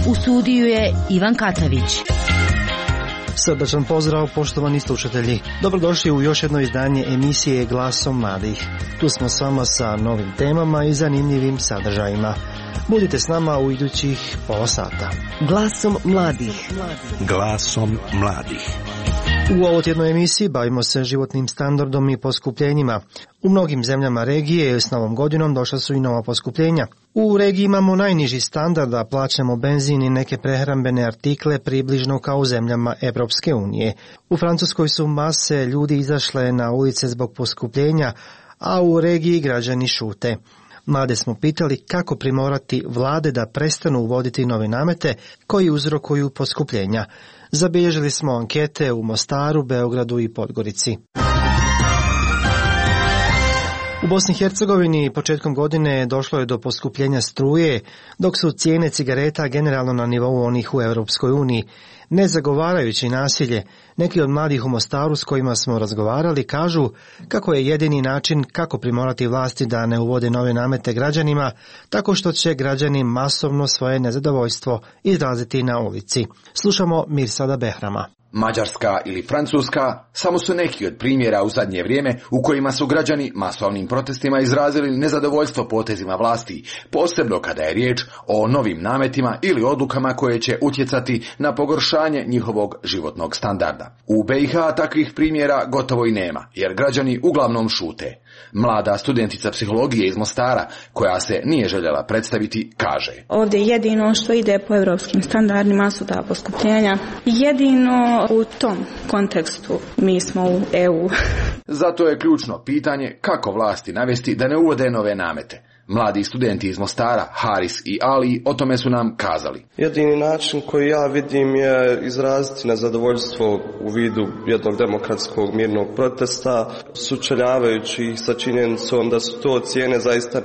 U studiju je Ivan Katavić. Srdačan pozdrav, poštovani slušatelji. Dobrodošli u još jedno izdanje emisije Glasom mladih. Tu smo s vama sa novim temama i zanimljivim sadržajima. Budite s nama u idućih pola sata. Glasom mladih. Glasom mladih. U ovotjednoj emisiji bavimo se životnim standardom i poskupljenjima. U mnogim zemljama regije s novom godinom došla su i nova poskupljenja. U regiji imamo najniži standard, a plaćamo benzin i neke prehrambene artikle približno kao u zemljama Evropske unije. U Francuskoj su mase ljudi izašle na ulice zbog poskupljenja, a u regiji građani šute. Mlade smo pitali kako primorati vlade da prestanu uvoditi nove namete koji uzrokuju poskupljenja. Zabilježili smo ankete u Mostaru, Beogradu i Podgorici. U Bosni i Hercegovini početkom godine došlo je do poskupljenja struje, dok su cijene cigareta generalno na nivou onih u Europskoj uniji. Ne zagovarajući nasilje, neki od mladih u Mostaru s kojima smo razgovarali kažu kako je jedini način kako primorati vlasti da ne uvode nove namete građanima, tako što će građani masovno svoje nezadovoljstvo izraziti na ulici. Slušamo Mirsada Behrama. Mađarska ili Francuska samo su neki od primjera u zadnje vrijeme u kojima su građani masovnim protestima izrazili nezadovoljstvo potezima vlasti, posebno kada je riječ o novim nametima ili odlukama koje će utjecati na pogoršanje njihovog životnog standarda. U BiH takvih primjera gotovo i nema, jer građani uglavnom šute. Mlada studentica psihologije iz Mostara, koja se nije željela predstaviti, kaže: Ovdje jedino što ide po europskim standardima su ta poskupljenja. Jedino u tom kontekstu mi smo u EU. Zato je ključno pitanje kako vlasti navesti da ne uvode nove namete. Mladi studenti iz Mostara, Haris i Ali, o tome su nam kazali. Jedini način koji ja vidim je izraziti nezadovoljstvo u vidu jednog demokratskog mirnog protesta, sučeljavajući ih sa činjenicom da su to cijene zaista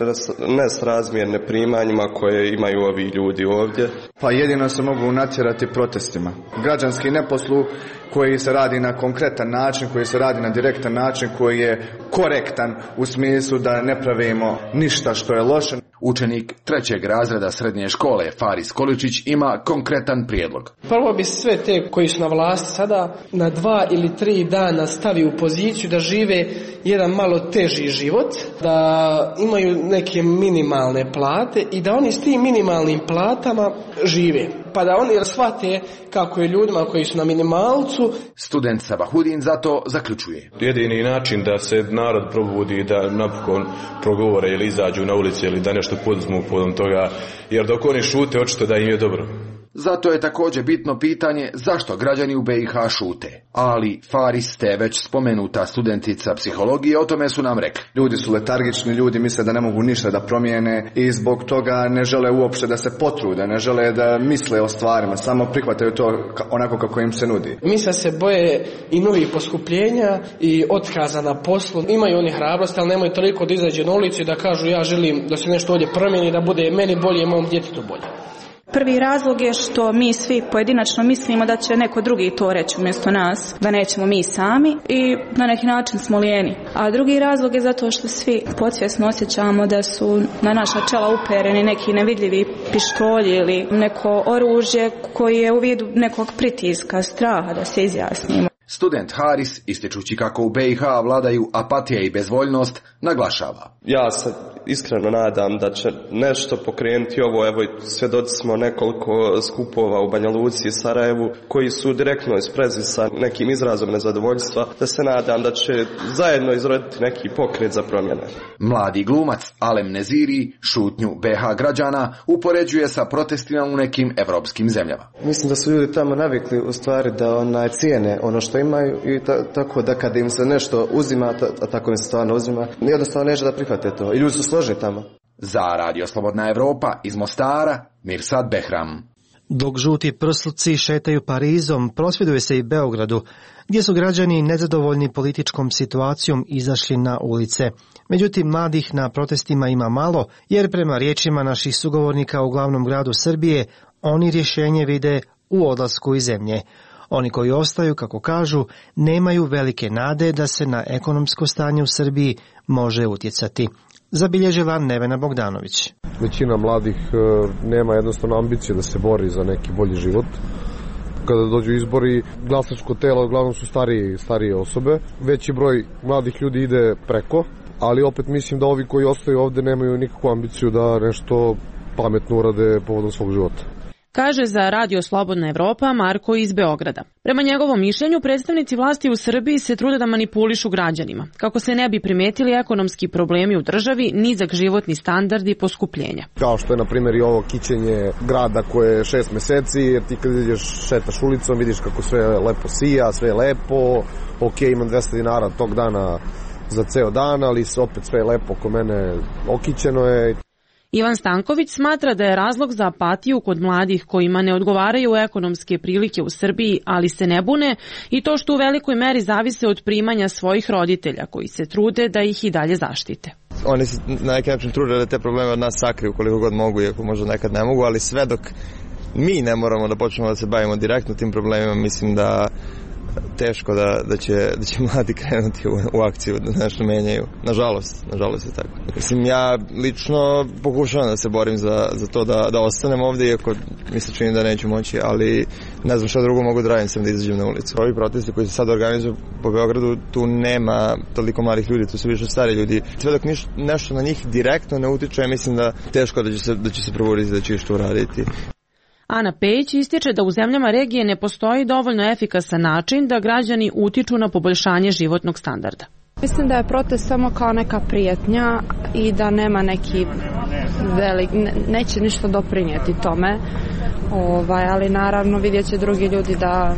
nesrazmjerne primanjima koje imaju ovi ljudi ovdje. Pa jedino se mogu natjerati protestima. Građanski neposluh koji se radi na konkretan način, koji se radi na direktan način, koji je korektan u smislu da ne pravimo ništa što je loše. Učenik 3. razreda srednje škole Faris Količić ima konkretan prijedlog. Prvo bi sve te koji su na vlasti sada na 2 ili 3 dana stavi u poziciju da žive jedan malo teži život, da imaju neke minimalne plate i da oni s tim minimalnim platama žive. Pa da oni shvate kako je ljudima koji su na minimalcu. Student Sabahudin zato zaključuje: jedini način da se narod probudi, da napokon progovore ili izađu na ulici ili da nešto poduzmu podom toga, jer dok oni šute očito da im je dobro. Zato je također bitno pitanje zašto građani u BiH šute. Ali Faris, te već spomenuta studentica psihologije, o tome su nam rekli. Ljudi su letargični, ljudi misle da ne mogu ništa da promijene i zbog toga ne žele uopće da se potrude, ne žele da misle o stvarima, samo prihvataju to onako kako im se nudi. Misle se boje i novih poskupljenja i otkaza na poslu. Imaju oni hrabrosti, ali nemaju toliko da izađe na ulicu i da kažu ja želim da se nešto ovdje promijeni, da bude meni bolje i mom djetetu bolje. Prvi razlog je što mi svi pojedinačno mislimo da će neko drugi to reći umjesto nas, da nećemo mi sami i na neki način smo lijeni. A drugi razlog je zato što svi podsvjesno osjećamo da su na naša čela upereni neki nevidljivi pištolji ili neko oružje koji je u vidu nekog pritiska, straha da se izjasnimo. student Haris, ističući kako u BiH vladaju apatija i bezvoljnost, naglašava. Ja se iskreno nadam da će nešto pokrenuti ovo. Evo, svjedoci smo nekoliko skupova u Banja Luci i Sarajevu koji su direktno isprezi sa nekim izrazom nezadovoljstva, da se nadam da će zajedno izroditi neki pokret za promjene. Mladi glumac Alem Neziri šutnju BiH građana upoređuje sa protestima u nekim evropskim zemljama. Mislim da su ljudi tamo navikli u stvari da cijene ono što imaju i tako da kada im se nešto uzima, a tako im se stvarno uzima, jednostavno neće da prihvate to. I ljudi su složni tamo. Za Radio Slobodna Evropa iz Mostara, Mirsad Behram. Dok žuti prsluci šetaju Parizom, prosvjeduje se i Beogradu, gdje su građani nezadovoljni političkom situacijom izašli na ulice. Međutim, mladih na protestima ima malo, jer prema riječima naših sugovornika u glavnom gradu Srbije, oni rješenje vide u odlasku iz zemlje. Oni koji ostaju, kako kažu, nemaju velike nade da se na ekonomsko stanje u Srbiji može utjecati. Zabilježila Nevena Bogdanović. Većina mladih nema jednostavno ambicije da se bori za neki bolji život. Kada dođu izbori, glasačko telo uglavnom su starije osobe. Veći broj mladih ljudi ide preko, ali opet mislim da ovi koji ostaju ovde nemaju nikakvu ambiciju da nešto pametno urade povodom svog života. Kaže za Radio Slobodna Evropa Marko iz Beograda. Prema njegovom mišljenju, predstavnici vlasti u Srbiji se trude da manipulišu građanima, kako se ne bi primetili ekonomski problemi u državi, nizak životni standard i poskupljenja. Kao što je, na primjer, i ovo kićenje grada koje je 6 meseci, jer ti kad ideš šetaš ulicom, vidiš kako sve lepo sija, sve je lepo, ok, imam 200 dinara tog dana za ceo dan, ali opet sve je lepo, oko mene okićeno je. Ivan Stanković smatra da je razlog za apatiju kod mladih kojima ne odgovaraju ekonomske prilike u Srbiji, ali se ne bune, i to što u velikoj meri zavise od primanja svojih roditelja koji se trude da ih i dalje zaštite. Oni se na neki način trude da te probleme od nas sakriju koliko god mogu, iako možda nekad ne mogu, ali sve dok mi ne moramo da počnemo da se bavimo direktno tim problemima, mislim da teško da će mladi krenuti u akciju da nešto menjaju. Nažalost je tako. Mislim, ja lično pokušavam da se borim za to da ostanem ovdje, iako mi se čini da neću moći, ali ne znam šta drugo mogu da radim sam da izađem na ulicu. Ovi protesti koji se sad organizuju po Beogradu, tu nema toliko mladih ljudi, tu su više stari ljudi. Sve dok nešto na njih direktno ne utiče, mislim da teško da će se probuditi, da će što uraditi. Ana Pejić ističe da u zemljama regije ne postoji dovoljno efikasan način da građani utiču na poboljšanje životnog standarda. Mislim da je protest samo kao neka prijetnja i da nema neki neće ništa doprinijeti tome, ali naravno vidjet će drugi ljudi da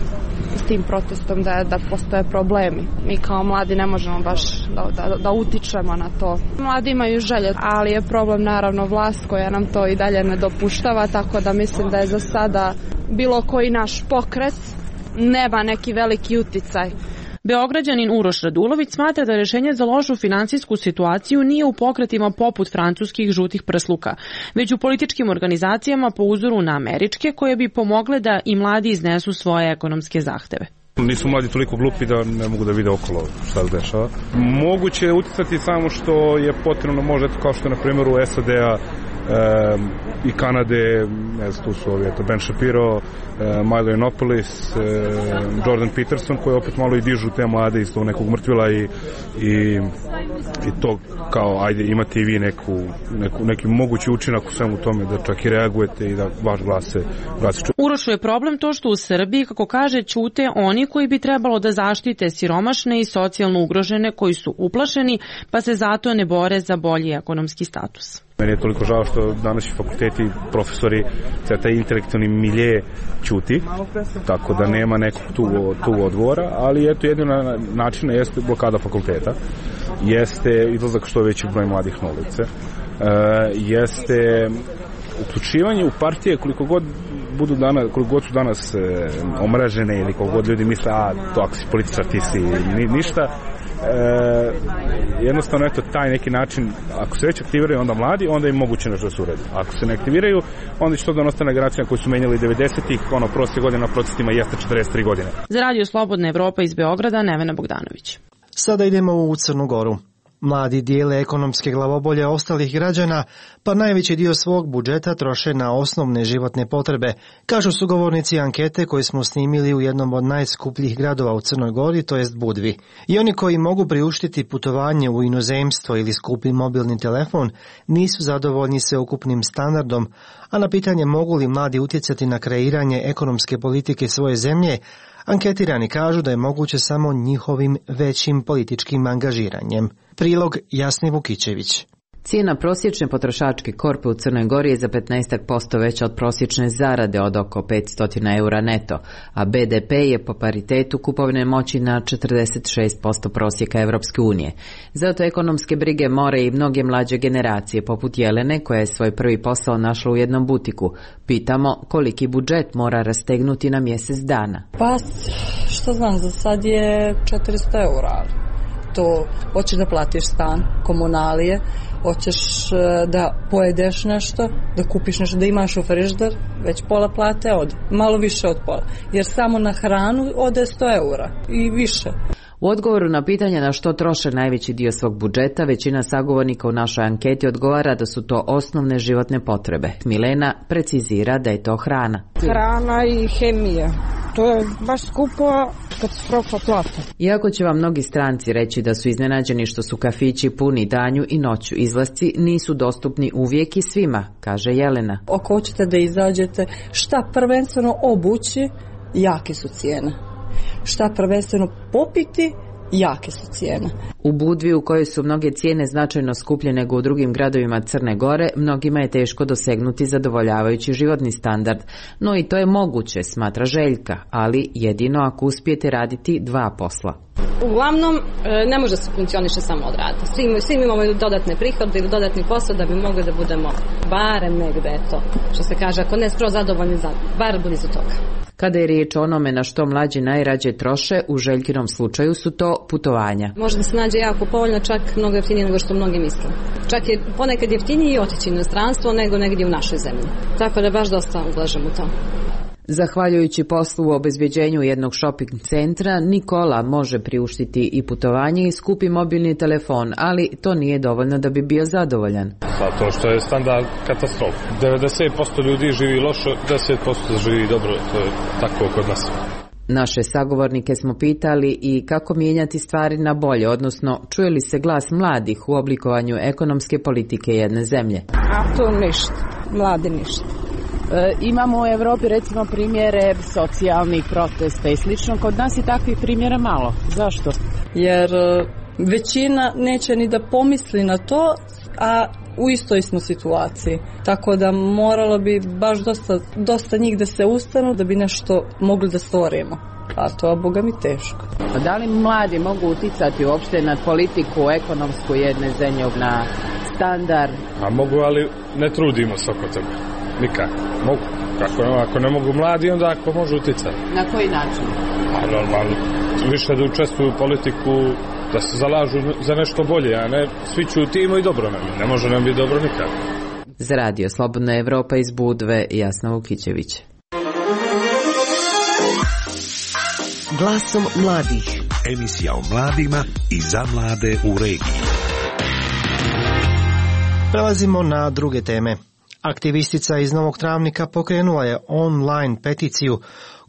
s tim protestom da postoje problemi. Mi kao mladi ne možemo baš da utičemo na to. Mladi imaju želje, ali je problem naravno vlast koja nam to i dalje ne dopuštava, tako da mislim da je za sada bilo koji naš pokret nema neki veliki uticaj. Beograđanin Uroš Radulović smatra da rješenje za lošu finansijsku situaciju nije u pokretima poput francuskih žutih prsluka, već u političkim organizacijama po uzoru na američke koje bi pomogle da i mladi iznesu svoje ekonomske zahteve. Nisu mladi toliko glupi da ne mogu da vide okolo šta se dešava. Moguće je uticati samo što je potrebno, možda kao što je na primjer u SAD-a i Kanade, ne znam, tu su ovi, Ben Shapiro, Milo Yiannopoulos, Jordan Peterson, koji opet malo i dižu te mlade iz tog nekog mrtvila i to kao, ajde, imate i vi neki mogući učinak u svemu tome da čak i reagujete i da vaš glas se čuje. Urošu je problem to što u Srbiji, kako kaže, ćute oni koji bi trebalo da zaštite siromašne i socijalno ugrožene koji su uplašeni, pa se zato ne bore za bolji ekonomski status. Meni je toliko žao što današnji fakulteti, profesori, taj intelektualni milje ćuti, tako da nema nekog tu odgovora, ali eto, jedina načina jeste blokada fakulteta, jeste izlazak što veći broj mladih na ulice, jeste uključivanje u partije koliko god su danas omražene ili koliko god ljudi misle, to ako si političar ti si ništa. Jednostavno, eto, taj neki način, ako se već aktiviraju onda mladi, onda im moguće nešto da se uredi. Ako se ne aktiviraju, onda će to da ostane generacija koji su menjali 90-ih, prosjek godina na protestima jeste 43 godine. Za Radio Slobodna Evropa iz Beograda, Nevena Bogdanović. Sada idemo u Crnu Goru. Mladi dijele ekonomske glavobolje ostalih građana, pa najveći dio svog budžeta troše na osnovne životne potrebe, kažu sugovornici ankete koje smo snimili u jednom od najskupljih gradova u Crnoj Gori, to jest Budvi. I oni koji mogu priuštiti putovanje u inozemstvo ili skupi mobilni telefon nisu zadovoljni sveukupnim standardom, a na pitanje mogu li mladi utjecati na kreiranje ekonomske politike svoje zemlje, anketirani kažu da je moguće samo njihovim većim političkim angažiranjem. Prilog Jasni Vukićević. Cijena prosječne potrošačke korpe u Crnoj Gori je za 15% veća od prosječne zarade od oko 500 eura neto, a BDP je po paritetu kupovne moći na 46% prosjeka Evropske unije. Zato ekonomske brige more i mnoge mlađe generacije, poput Jelene, koja je svoj prvi posao našla u jednom butiku. Pitamo koliki budžet mora rastegnuti na mjesec dana. Pa, što znam, za sad je 400 eura. To hoćeš da platiš stan, komunalije, hoćeš da pojedeš nešto, da kupiš nešto, da imaš u frižider, već pola plate ode, malo više od pola, jer samo na hranu ode 100 eura i više. U odgovoru na pitanje na što troše najveći dio svog budžeta, većina sagovornika u našoj anketi odgovara da su to osnovne životne potrebe. Milena precizira da je to hrana. Hrana i hemija. To je baš skupo katastrofa plata. Iako će vam mnogi stranci reći da su iznenađeni što su kafići puni danju i noću, izlasci nisu dostupni uvijek i svima, kaže Jelena. Ako hoćete da izađete, šta prvenstveno obući, jake su cijene. Šta prvenstveno popiti, jake su cijene. U Budvi, u kojoj su mnoge cijene značajno skuplje nego u drugim gradovima Crne Gore, mnogima je teško dosegnuti zadovoljavajući životni standard. No i to je moguće, smatra Željka, ali jedino ako uspijete raditi dva posla. Uglavnom, ne može se funkcioniše samo od rada. Svi imamo dodatne prihode ili dodatni posao da bi mogli da budemo barem negde, eto, što se kaže, ako ne skroz zadovoljni, bar blizu toga. Kada je riječ o onome na što mlađi najrađe troše, u Željkinom slučaju su to putovanja. Može da se nađe jako povoljno, čak mnogo jeftinije nego što mnogi misle. Čak je ponekad jeftinije otići u inostranstvo nego negdje u našoj zemlji. Tako da baš dosta ulažem u to. Zahvaljujući poslu u obezbeđenju jednog shopping centra, Nikola može priuštiti i putovanje i skupi mobilni telefon, ali to nije dovoljno da bi bio zadovoljan. Zato što je standard katastrofa. 90% ljudi živi loše, 10% živi dobro, to je tako kod nas. Naše sagovornike smo pitali i kako mijenjati stvari na bolje, odnosno čuje li se glas mladih u oblikovanju ekonomske politike jedne zemlje. A to ništa, mladi ništa. Imamo u Evropi recimo primjere socijalnih protesta i slično, kod nas je takvih primjera malo. Zašto? Jer većina neće ni da pomisli na to, a u istoj smo situaciji. Tako da moralo bi baš dosta njih da se ustanu da bi nešto mogli da stvorimo. A to je, boga mi, teško. Da li mladi mogu uticati uopšte na politiku ekonomsku jedne zemlje, na standard? A mogu, ali ne trudimo se oko toga. Nikako. Mogu. Ako ne mogu mladi, onda ako može uticati. Na koji način? A normalno. Više da učestvuju u politiku, da se zalažu za nešto bolje, a ne svi ćutimo i dobro nam je. Ne može nam biti dobro nikako. Za Radio Slobodna Evropa iz Budve, Jasna Vukićević. Glasom mladih. Emisija o mladima i za mlade u regiji. Prelazimo na druge teme. Aktivistica iz Novog Travnika pokrenula je online peticiju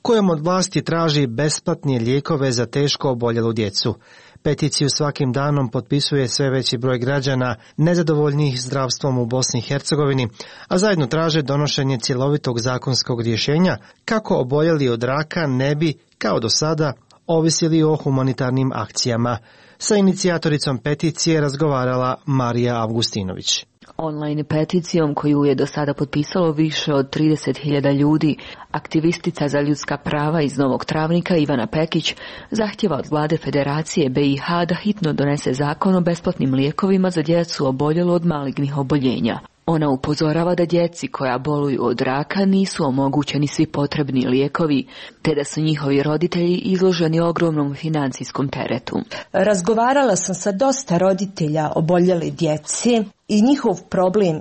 kojom od vlasti traži besplatne lijekove za teško oboljelu djecu. Peticiju svakim danom potpisuje sve veći broj građana nezadovoljnih zdravstvom u Bosni i Hercegovini, a zajedno traže donošenje cjelovitog zakonskog rješenja kako oboljeli od raka ne bi, kao do sada, ovisili o humanitarnim akcijama. Sa inicijatoricom peticije razgovarala Marija Avgustinović. Online peticijom koju je do sada potpisalo više od 30.000 ljudi, aktivistica za ljudska prava iz Novog Travnika Ivana Pekić zahtjeva od vlade Federacije BiH da hitno donese zakon o besplatnim lijekovima za djecu oboljelu od malignih oboljenja. Ona upozorava da djeci koja boluju od raka nisu omogućeni svi potrebni lijekovi, te da su njihovi roditelji izloženi ogromnom financijskom teretu. Razgovarala sam sa dosta roditelja oboljele djece i njihov problem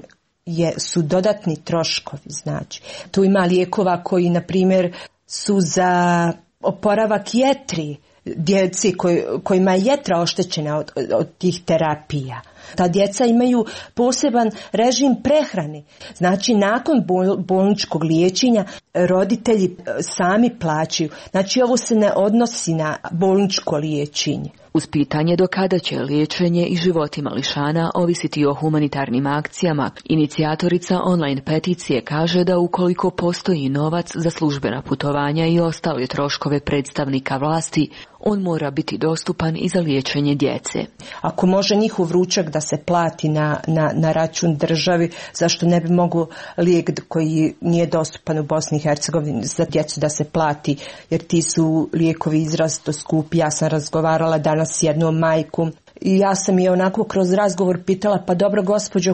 su dodatni troškovi. Znači, tu ima lijekova koji, na primjer, su za oporavak jetri, djeci kojima je jetra oštećena od tih terapija. Ta djeca imaju poseban režim prehrane. Znači, nakon bolničkog liječenja roditelji sami plaćaju. Znači, ovo se ne odnosi na bolničko liječenje. Uz pitanje do kada će liječenje i životi mališana ovisiti o humanitarnim akcijama, inicijatorica online peticije kaže da ukoliko postoji novac za službena putovanja i ostale troškove predstavnika vlasti, on mora biti dostupan i za liječenje djece. Ako može njihov ručak da se plati na račun državi, zašto ne bi mogao lijek koji nije dostupan u Bosni i Hercegovini za djecu da se plati, jer ti su lijekovi izrazito skupi. Ja sam razgovarala danas s jednom majkom i ja sam je onako kroz razgovor pitala, pa dobro gospođo,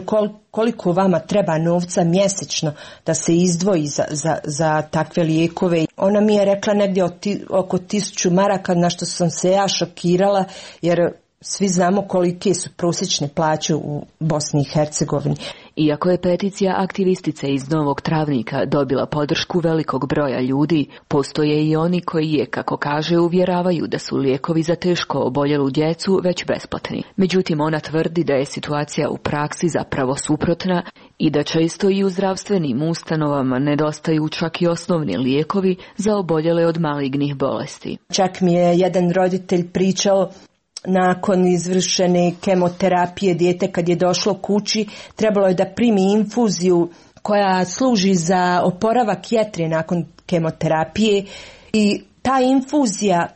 koliko vama treba novca mjesečno da se izdvoji za takve lijekove. Ona mi je rekla negdje oko 1000 maraka, na što sam se ja šokirala, jer svi znamo kolike su prosječne plaće u Bosni i Hercegovini. Iako je peticija aktivistice iz Novog Travnika dobila podršku velikog broja ljudi, postoje i oni koji je, kako kaže, uvjeravaju da su lijekovi za teško oboljelu djecu već besplatni. Međutim, ona tvrdi da je situacija u praksi zapravo suprotna i da često i u zdravstvenim ustanovama nedostaju čak i osnovni lijekovi za oboljele od malignih bolesti. Čak mi je jedan roditelj pričao, nakon izvršene kemoterapije dijete kad je došlo kući trebalo je da primi infuziju koja služi za oporavak jetre nakon kemoterapije i ta infuzija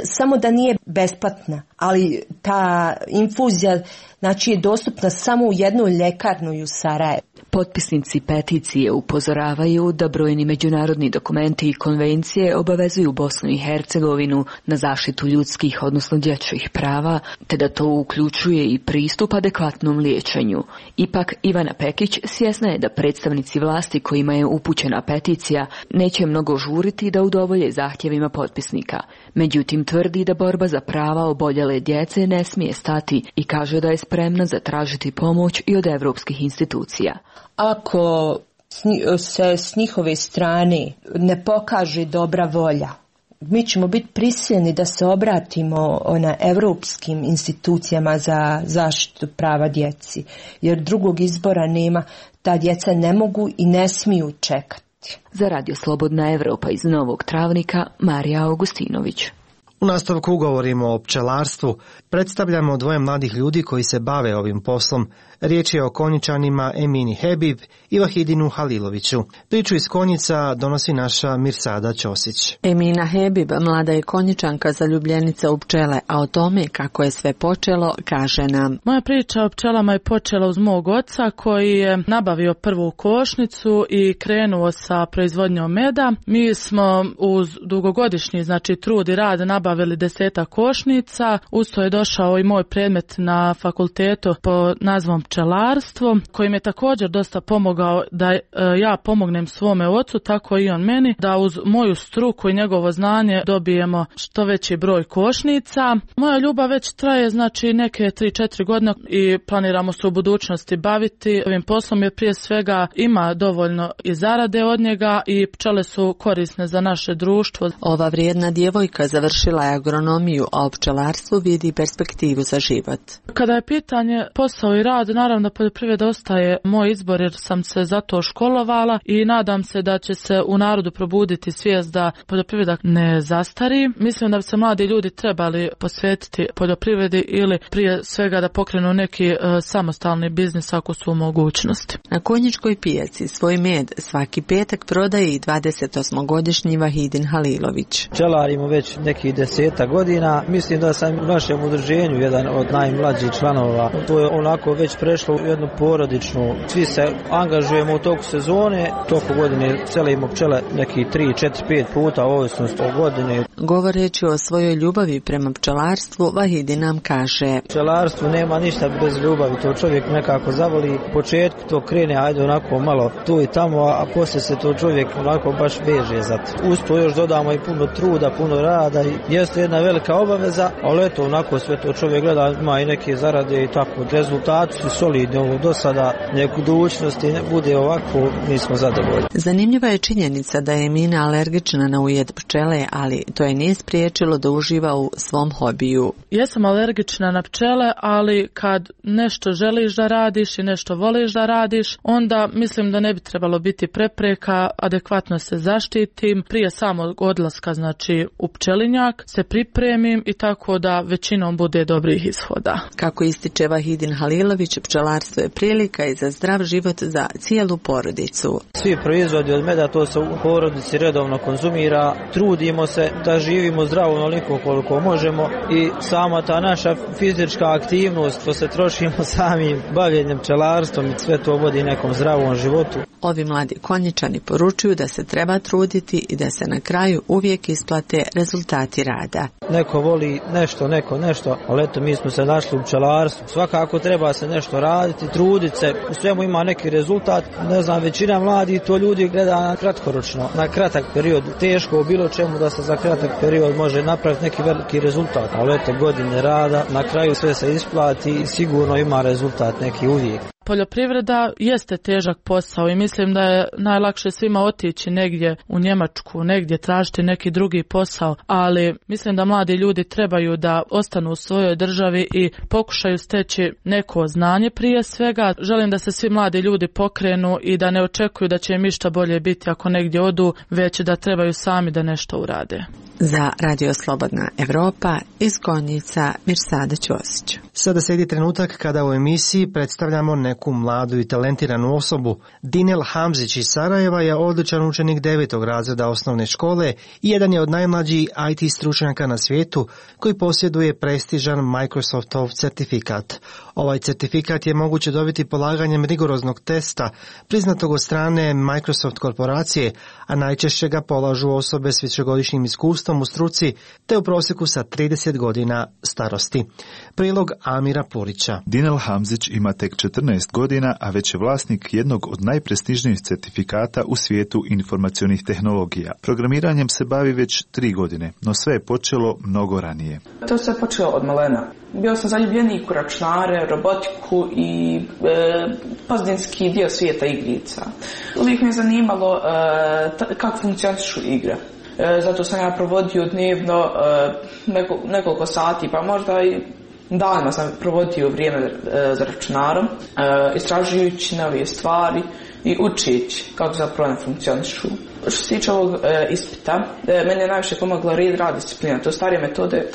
samo da nije besplatna, ali ta infuzija znači je dostupna samo u jednoj ljekarni u Sarajevu. Potpisnici peticije upozoravaju da brojni međunarodni dokumenti i konvencije obavezuju Bosnu i Hercegovinu na zaštitu ljudskih, odnosno dječjih prava, te da to uključuje i pristup adekvatnom liječenju. Ipak Ivana Pekić svjesna je da predstavnici vlasti kojima je upućena peticija neće mnogo žuriti da udovolje zahtjevima potpisnika. Međutim, tvrdi da borba za prava oboljele djece ne smije stati i kaže da je spremna zatražiti pomoć i od evropskih institucija. Ako se s njihove strane ne pokaže dobra volja, mi ćemo biti prisiljeni da se obratimo evropskim institucijama za zaštitu prava djeci, jer drugog izbora nema. Ta djeca ne mogu i ne smiju čekati. Za Radio Slobodna Evropa iz Novog Travnika, Marija Augustinović. U nastavku govorimo o pčelarstvu. Predstavljamo dvoje mladih ljudi koji se bave ovim poslom. Riječ je o Konjičanima Emini Hebib i Vahidinu Haliloviću. Priču iz Konjica donosi naša Mirsada Ćosić. Emina Hebib, mlada je Konjičanka, zaljubljenica u pčele, a o tome kako je sve počelo kaže nam. Moja priča o pčelama je počela uz mog oca koji je nabavio prvu košnicu i krenuo sa proizvodnjom meda. Mi smo uz dugogodišnji trud i rad nabavili 10 košnica. Usto je došao i moj predmet na fakultetu po nazvom pčelarstvo, koji mi je također dosta pomogao da ja pomognem svome ocu, tako i on meni, da uz moju struku i njegovo znanje dobijemo što veći broj košnica. Moja ljubav već traje neke 3-4 godine i planiramo se u budućnosti baviti ovim poslom, jer prije svega ima dovoljno i zarade od njega i pčele su korisne za naše društvo. Ova vrijedna djevojka završila je agronomiju, a u pčelarstvu vidi perspektivu za život. Kada je pitanje posao i rad, naravno poljoprivreda ostaje moj izbor jer sam se za to školovala i nadam se da će se u narodu probuditi svijest da poljoprivreda ne zastari. Mislim da bi se mladi ljudi trebali posvetiti poljoprivredi ili prije svega da pokrenu neki samostalni biznis ako su u mogućnosti. Na Konjičkoj pijaci svoj med svaki petak prodaje i 28-godišnji Vahidin Halilović. Pčelarimo već nekih 10 godina. Mislim da sam u našem udruženju jedan od najmlađih članova. To je onako već prešlo u jednu porodičnu. Svi se angažujemo u toku sezone, toku godine selimo pčele neki 3, 4, 5 puta, ovisnost o godini. Govoreći o svojoj ljubavi prema pčelarstvu, Vahidi nam kaže: pčelarstvo nema ništa bez ljubavi, to čovjek nekako zavoli. U početku to krene, ajde onako malo tu i tamo, a poslije se to čovjek onako baš veže za to. Uz to još dodamo i puno truda, puno rada i jeste jedna velika obaveza, ali eto, onako sve to čovjek gleda, ima i neke zarade i tako. Rezultati su solidni ovo do sada, neku budućnosti ne bude ovako, mi smo zadovoljni. Zanimljiva je činjenica da je Emina alergična na ujed pčele, ali to je nije spriječilo da uživa u svom hobiju. Jesam alergična na pčele, ali kad nešto želiš da radiš i nešto voliš da radiš, onda mislim da ne bi trebalo biti prepreka, adekvatno se zaštitim. Prije samog odlaska, znači u pčelinjak, se pripremim i tako da većinom bude dobrih ishoda. Kako ističe Vahidin Halilović, pčelarstvo je prilika i za zdrav život za cijelu porodicu. Svi proizvodi od meda, to se u porodici redovno konzumira, trudimo se da živimo zdravo onoliko koliko možemo i sama ta naša fizička aktivnost, to se trošimo samim bavljenjem pčelarstvom i sve to vodi nekom zdravom životu. Ovi mladi konjičani poručuju da se treba truditi i da se na kraju uvijek isplate rezultati rada. Neko voli nešto, neko nešto, ali eto mi smo se našli u pčelarstvu. Svakako treba se nešto raditi, truditi se, u svemu ima neki rezultat. Ne znam, većina mladih to ljudi gleda na kratkoročno, na kratak period. Teško u bilo čemu da se za kratak period može napraviti neki veliki rezultat, ali eto godine rada, na kraju sve se isplati i sigurno ima rezultat neki uvijek. Poljoprivreda jeste težak posao i mislim da je najlakše svima otići negdje u Njemačku, negdje tražiti neki drugi posao, ali mislim da mladi ljudi trebaju da ostanu u svojoj državi i pokušaju steći neko znanje prije svega. Želim da se svi mladi ljudi pokrenu i da ne očekuju da će im išta bolje biti ako negdje odu, već da trebaju sami da nešto urade. Za Radio Slobodna Evropa iz Konjica Mirsada Ćosić. Sada slijedi trenutak kada u emisiji predstavljamo neku mladu i talentiranu osobu. Dinel Hamzić iz Sarajeva je odličan učenik 9. razreda osnovne škole i jedan je od najmlađih IT stručnjaka na svijetu koji posjeduje prestižan Microsoftov certifikat. Ovaj certifikat je moguće dobiti polaganjem rigoroznog testa priznatog od strane Microsoft korporacije, a najčešće ga polažu osobe s višegodišnjim iskustvom u struci te u prosjeku sa 30 godina starosti. Prilog Amira Purića. Dinel Hamzić ima tek 14 godina, a već je vlasnik jednog od najprestižnijih certifikata u svijetu informacionih tehnologija. Programiranjem se bavi već 3 godine, no sve je počelo mnogo ranije. To se počelo od malena. Bio sam zaljubljenik u računare, robotiku i pozadinski dio svijeta igrica. Uvijek me je zanimalo kako funkcionišu igre. Zato sam ja provodio dnevno nekoliko sati, pa možda i danima sam provodio vrijeme za računarom, istražujući nove stvari i učeći kako zapravo ne funkcionišu. Što se tiče ovog ispita, meni je najviše pomogla rad disciplina. To starije metode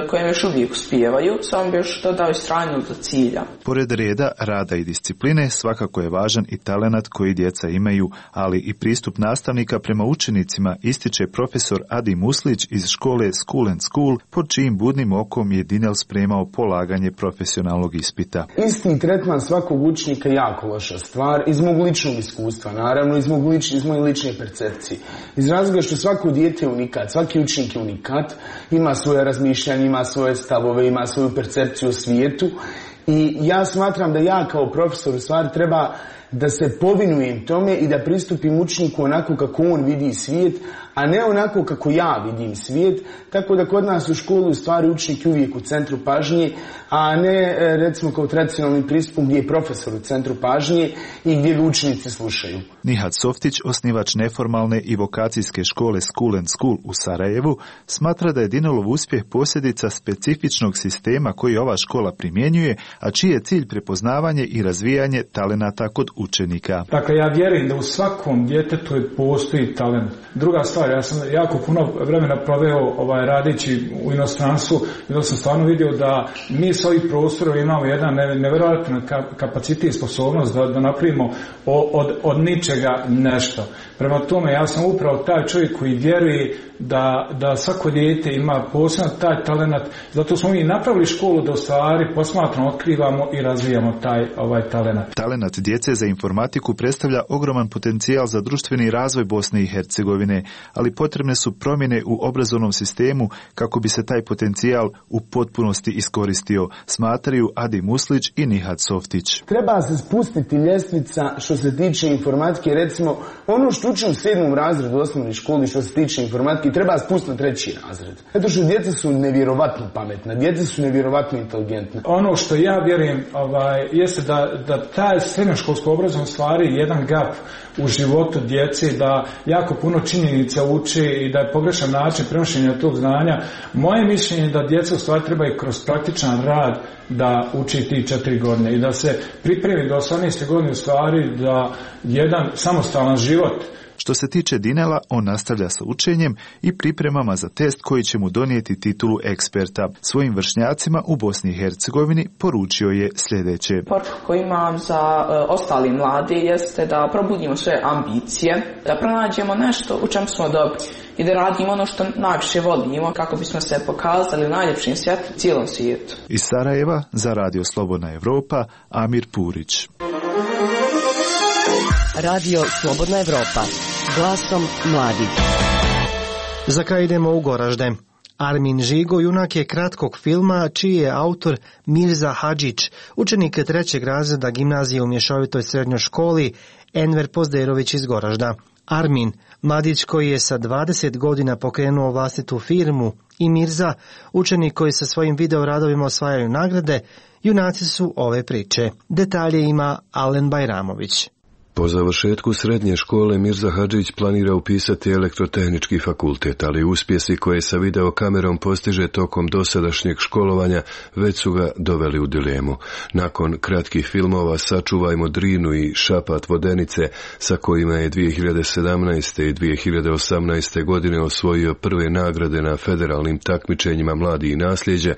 koje još uvijek uspijevaju, samo bi još dodao i strajnog do cilja. Pored reda, rada i discipline, svakako je važan i talenat koji djeca imaju, ali i pristup nastavnika prema učenicima, ističe profesor Adi Muslić iz škole School and School, pod čijim budnim okom je Dinel spremao polaganje profesionalnog ispita. Isti tretman svakog učenika je jako loša stvar, iz mog ličnog iskustva, naravno, iz moje lične percepcije. Iz razloga što svako dijete je unikat, svaki učenik je unikat, ima svoje razmišljanje, ima svoje stavove, ima svoju percepciju o svijetu i ja smatram da ja kao profesor u stvari treba da se povinujem tome i da pristupim učeniku onako kako on vidi svijet, a ne onako kako ja vidim svijet, tako da kod nas u školu u stvari učenik je uvijek u centru pažnje, a ne recimo kao tradicionalnim pristupom gdje je profesor u centru pažnje i gdje ga učenici slušaju. Nihat Softić, osnivač neformalne i vokacijske škole School and School u Sarajevu, smatra da je Dinelov uspjeh posljedica specifičnog sistema koji ova škola primjenjuje, a čiji je cilj prepoznavanje i razvijanje talenata kod učenika. Dakle, ja vjerujem da u svakom djetetu postoji talent. Druga stvar, ja sam jako puno vremena proveo radeći u inostranstvu i da sam stvarno vidio da mi s ovih prostora imamo jedan nevjerojatan kapacitet i sposobnost da napravimo od ničega nešto. Prema tome, ja sam upravo taj čovjek koji vjeruje da svako dijete ima poseban taj talent. Zato smo mi napravili školu da u stvari posmatramo, otkrivamo i razvijamo taj talent. Talent djece za informatiku predstavlja ogroman potencijal za društveni razvoj Bosne i Hercegovine, ali potrebne su promjene u obrazovnom sistemu kako bi se taj potencijal u potpunosti iskoristio, smatraju Adi Muslić i Nihat Softić. Treba se spustiti ljestvica što se tiče informatike, recimo ono što što uči u 7. razredu osnovne škole što se tiče informatike treba spustiti na 3. razred. Zato što djeca su nevjerovatno pametna, djeca su nevjerovatno inteligentna. Ono što ja vjerujem jeste da taj srednjoškolsko obrazovanje stvari jedan gap u životu djece, da jako puno činjenica uči i da je pogrešan način prenošenja tog znanja. Moje mišljenje je da djeca u stvari treba i kroz praktičan rad da uči ti 4 godine i da se pripremi do 18. godine u stvari da jedan samostalan život. Što se tiče Dinela, on nastavlja sa učenjem i pripremama za test koji će mu donijeti titulu eksperta. Svojim vršnjacima u Bosni i Hercegovini poručio je sljedeće. Poruka koju imam za ostali mladi jeste da probudimo sve ambicije, da pronađemo nešto u čem smo dobri i da radimo ono što najviše volimo kako bismo se pokazali u najljepšim svjetlu cijelom svijetu. Iz Sarajeva za Radio Slobodna Evropa, Amir Purić. Radio Slobodna Evropa, glasom mladih. Za kraj idemo u Goražde. Armin Žigo junak je kratkog filma čiji je autor Mirza Hadžić, učenik 3. razreda gimnazije u mješovitoj srednjoj školi Enver Pozderović iz Goražda. Armin, mladić koji je sa 20 godina pokrenuo vlastitu firmu, i Mirza, učenik koji sa svojim videoradovima osvajaju nagrade, junaci su ove priče. Detalje ima Alen Bajramović. Po završetku srednje škole Mirza Hadžić planira upisati elektrotehnički fakultet, ali uspjesi koje sa videokamerom postiže tokom dosadašnjeg školovanja već su ga doveli u dilemu. Nakon kratkih filmova Sačuvajmo Drinu i Šapat Vodenice, sa kojima je 2017. i 2018. godine osvojio prve nagrade na federalnim takmičenjima Mladi i nasljeđe,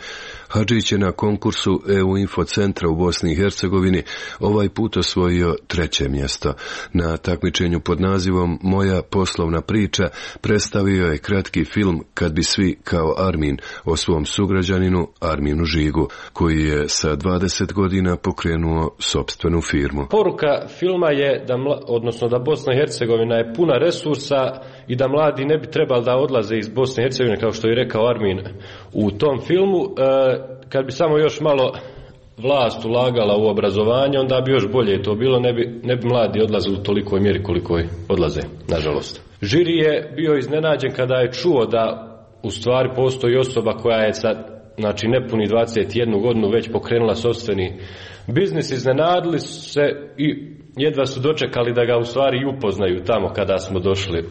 Hadžić je na konkursu EU Info centra u Bosni i Hercegovini ovaj put osvojio 3. mjesto. Na takmičenju pod nazivom Moja poslovna priča predstavio je kratki film Kad bi svi kao Armin o svom sugrađaninu Arminu Žigu, koji je sa 20 godina pokrenuo sopstvenu firmu. Poruka filma je da Bosna i Hercegovina je puna resursa i da mladi ne bi trebali da odlaze iz Bosne i Hercegovine, kao što je rekao Armin u tom filmu. Kad bi samo još malo vlast ulagala u obrazovanje, onda bi još bolje to bilo, ne bi mladi odlazili u tolikoj mjeri koliko odlaze, nažalost. Žiri je bio iznenađen kada je čuo da u stvari postoji osoba koja je sa nepuni 21 godinu već pokrenula sopstveni biznis. Iznenadili se i jedva su dočekali da ga u stvari i upoznaju tamo kada smo došli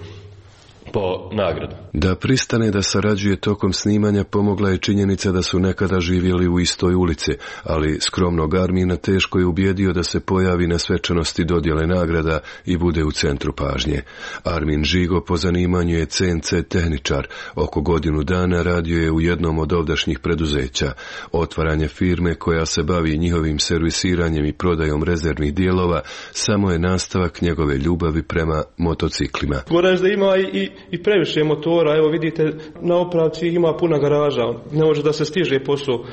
po nagradu. Da pristane da sarađuje tokom snimanja pomogla je činjenica da su nekada živjeli u istoj ulici, ali skromnog Armina teško je ubijedio da se pojavi na svečanosti dodjele nagrada i bude u centru pažnje. Armin Žigo po zanimanju je CNC tehničar. Oko godinu dana radio je u jednom od ovdašnjih preduzeća. Otvaranje firme koja se bavi njihovim servisiranjem i prodajom rezervnih dijelova samo je nastavak njegove ljubavi prema motociklima. Goražda ima i previše motora, evo vidite na opravci ima puna garaža, ne može da se stiže posao.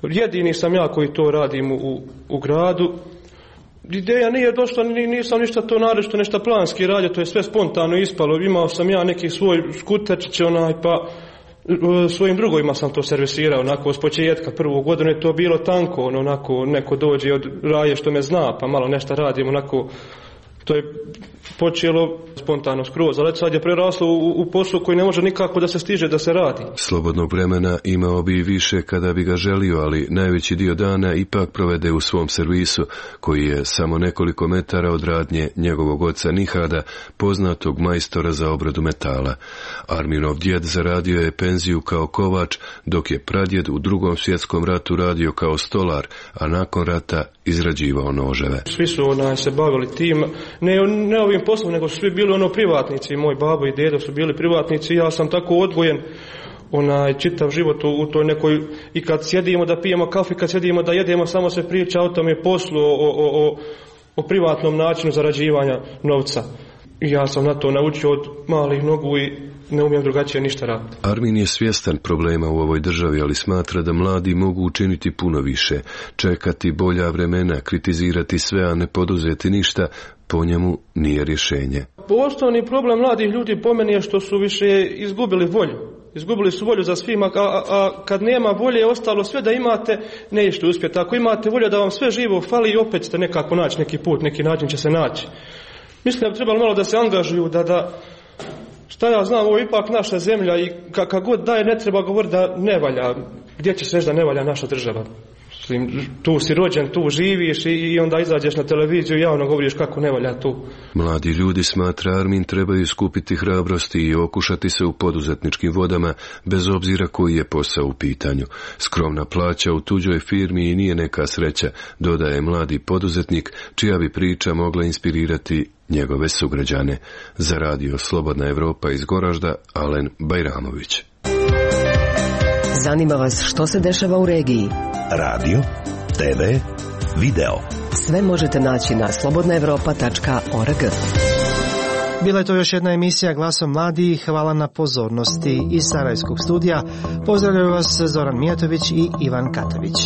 Jedini sam ja koji to radim u gradu. Ideja nije došla, nisam ništa to narešto, nešto planski radio, to je sve spontano ispalo. Imao sam ja neki svoj skuterčić, pa svojim drugovima sam to servisirao, onako s početka prvu godinu je to bilo tanko, onako neko dođe od raje što me zna, pa malo nešto radim, onako. To je počelo spontano skroz, ali sad je preraslo u posao koji ne može nikako da se stiže da se radi. Slobodnog vremena imao bi i više kada bi ga želio, ali najveći dio dana ipak provede u svom servisu, koji je samo nekoliko metara od radnje njegovog oca Nihada, poznatog majstora za obradu metala. Arminov djed zaradio je penziju kao kovač, dok je pradjed u Drugom svjetskom ratu radio kao stolar, a nakon rata izrađivao noževe. Svi su se bavili tim, ne ovim poslom, nego su svi bili privatnici. Moj babo i dedo su bili privatnici, ja sam tako odgojen čitav život u toj nekoj, i kad sjedimo da pijemo kafu, kad sjedimo da jedemo, samo se priča o tome poslu, o privatnom načinu zarađivanja novca. I ja sam na to naučio od malih nogu i ne umijem drugačije ništa raditi. Armin je svjestan problema u ovoj državi, ali smatra da mladi mogu učiniti puno više. Čekati bolja vremena, kritizirati sve, a ne poduzeti ništa, po njemu nije rješenje. Osnovni problem mladih ljudi po meni je što su više izgubili volju. Izgubili su volju za svima, a kad nema volje, ostalo sve da imate, nećete uspjeti. Ako imate volju da vam sve živo fali, opet ćete nekako naći neki put, neki način će se naći. Mislim da bi trebalo malo da se angažuju, da šta ja znam, ovo je ipak naša zemlja i kako god daje ne treba govoriti da ne valja. Gdje ćeš reći da ne valja naša država? Tu si rođen, tu živiš i onda izađeš na televiziju i javno govoriš kako ne valja tu. Mladi ljudi, smatra Armin, trebaju skupiti hrabrosti i okušati se u poduzetničkim vodama, bez obzira koji je posao u pitanju. Skromna plaća u tuđoj firmi i nije neka sreća, dodaje mladi poduzetnik, čija bi priča mogla inspirirati njegove sugrađane. Za radio Slobodna Evropa iz Goražda, Alen Bajramović. Zanima vas što se dešava u regiji? Radio, TV, video. Sve možete naći na slobodnaevropa.org. Bila je to još jedna emisija Glasom mladih. Hvala na pozornosti iz Sarajevskog studija. Pozdravljaju vas Zoran Mijatović i Ivan Katović.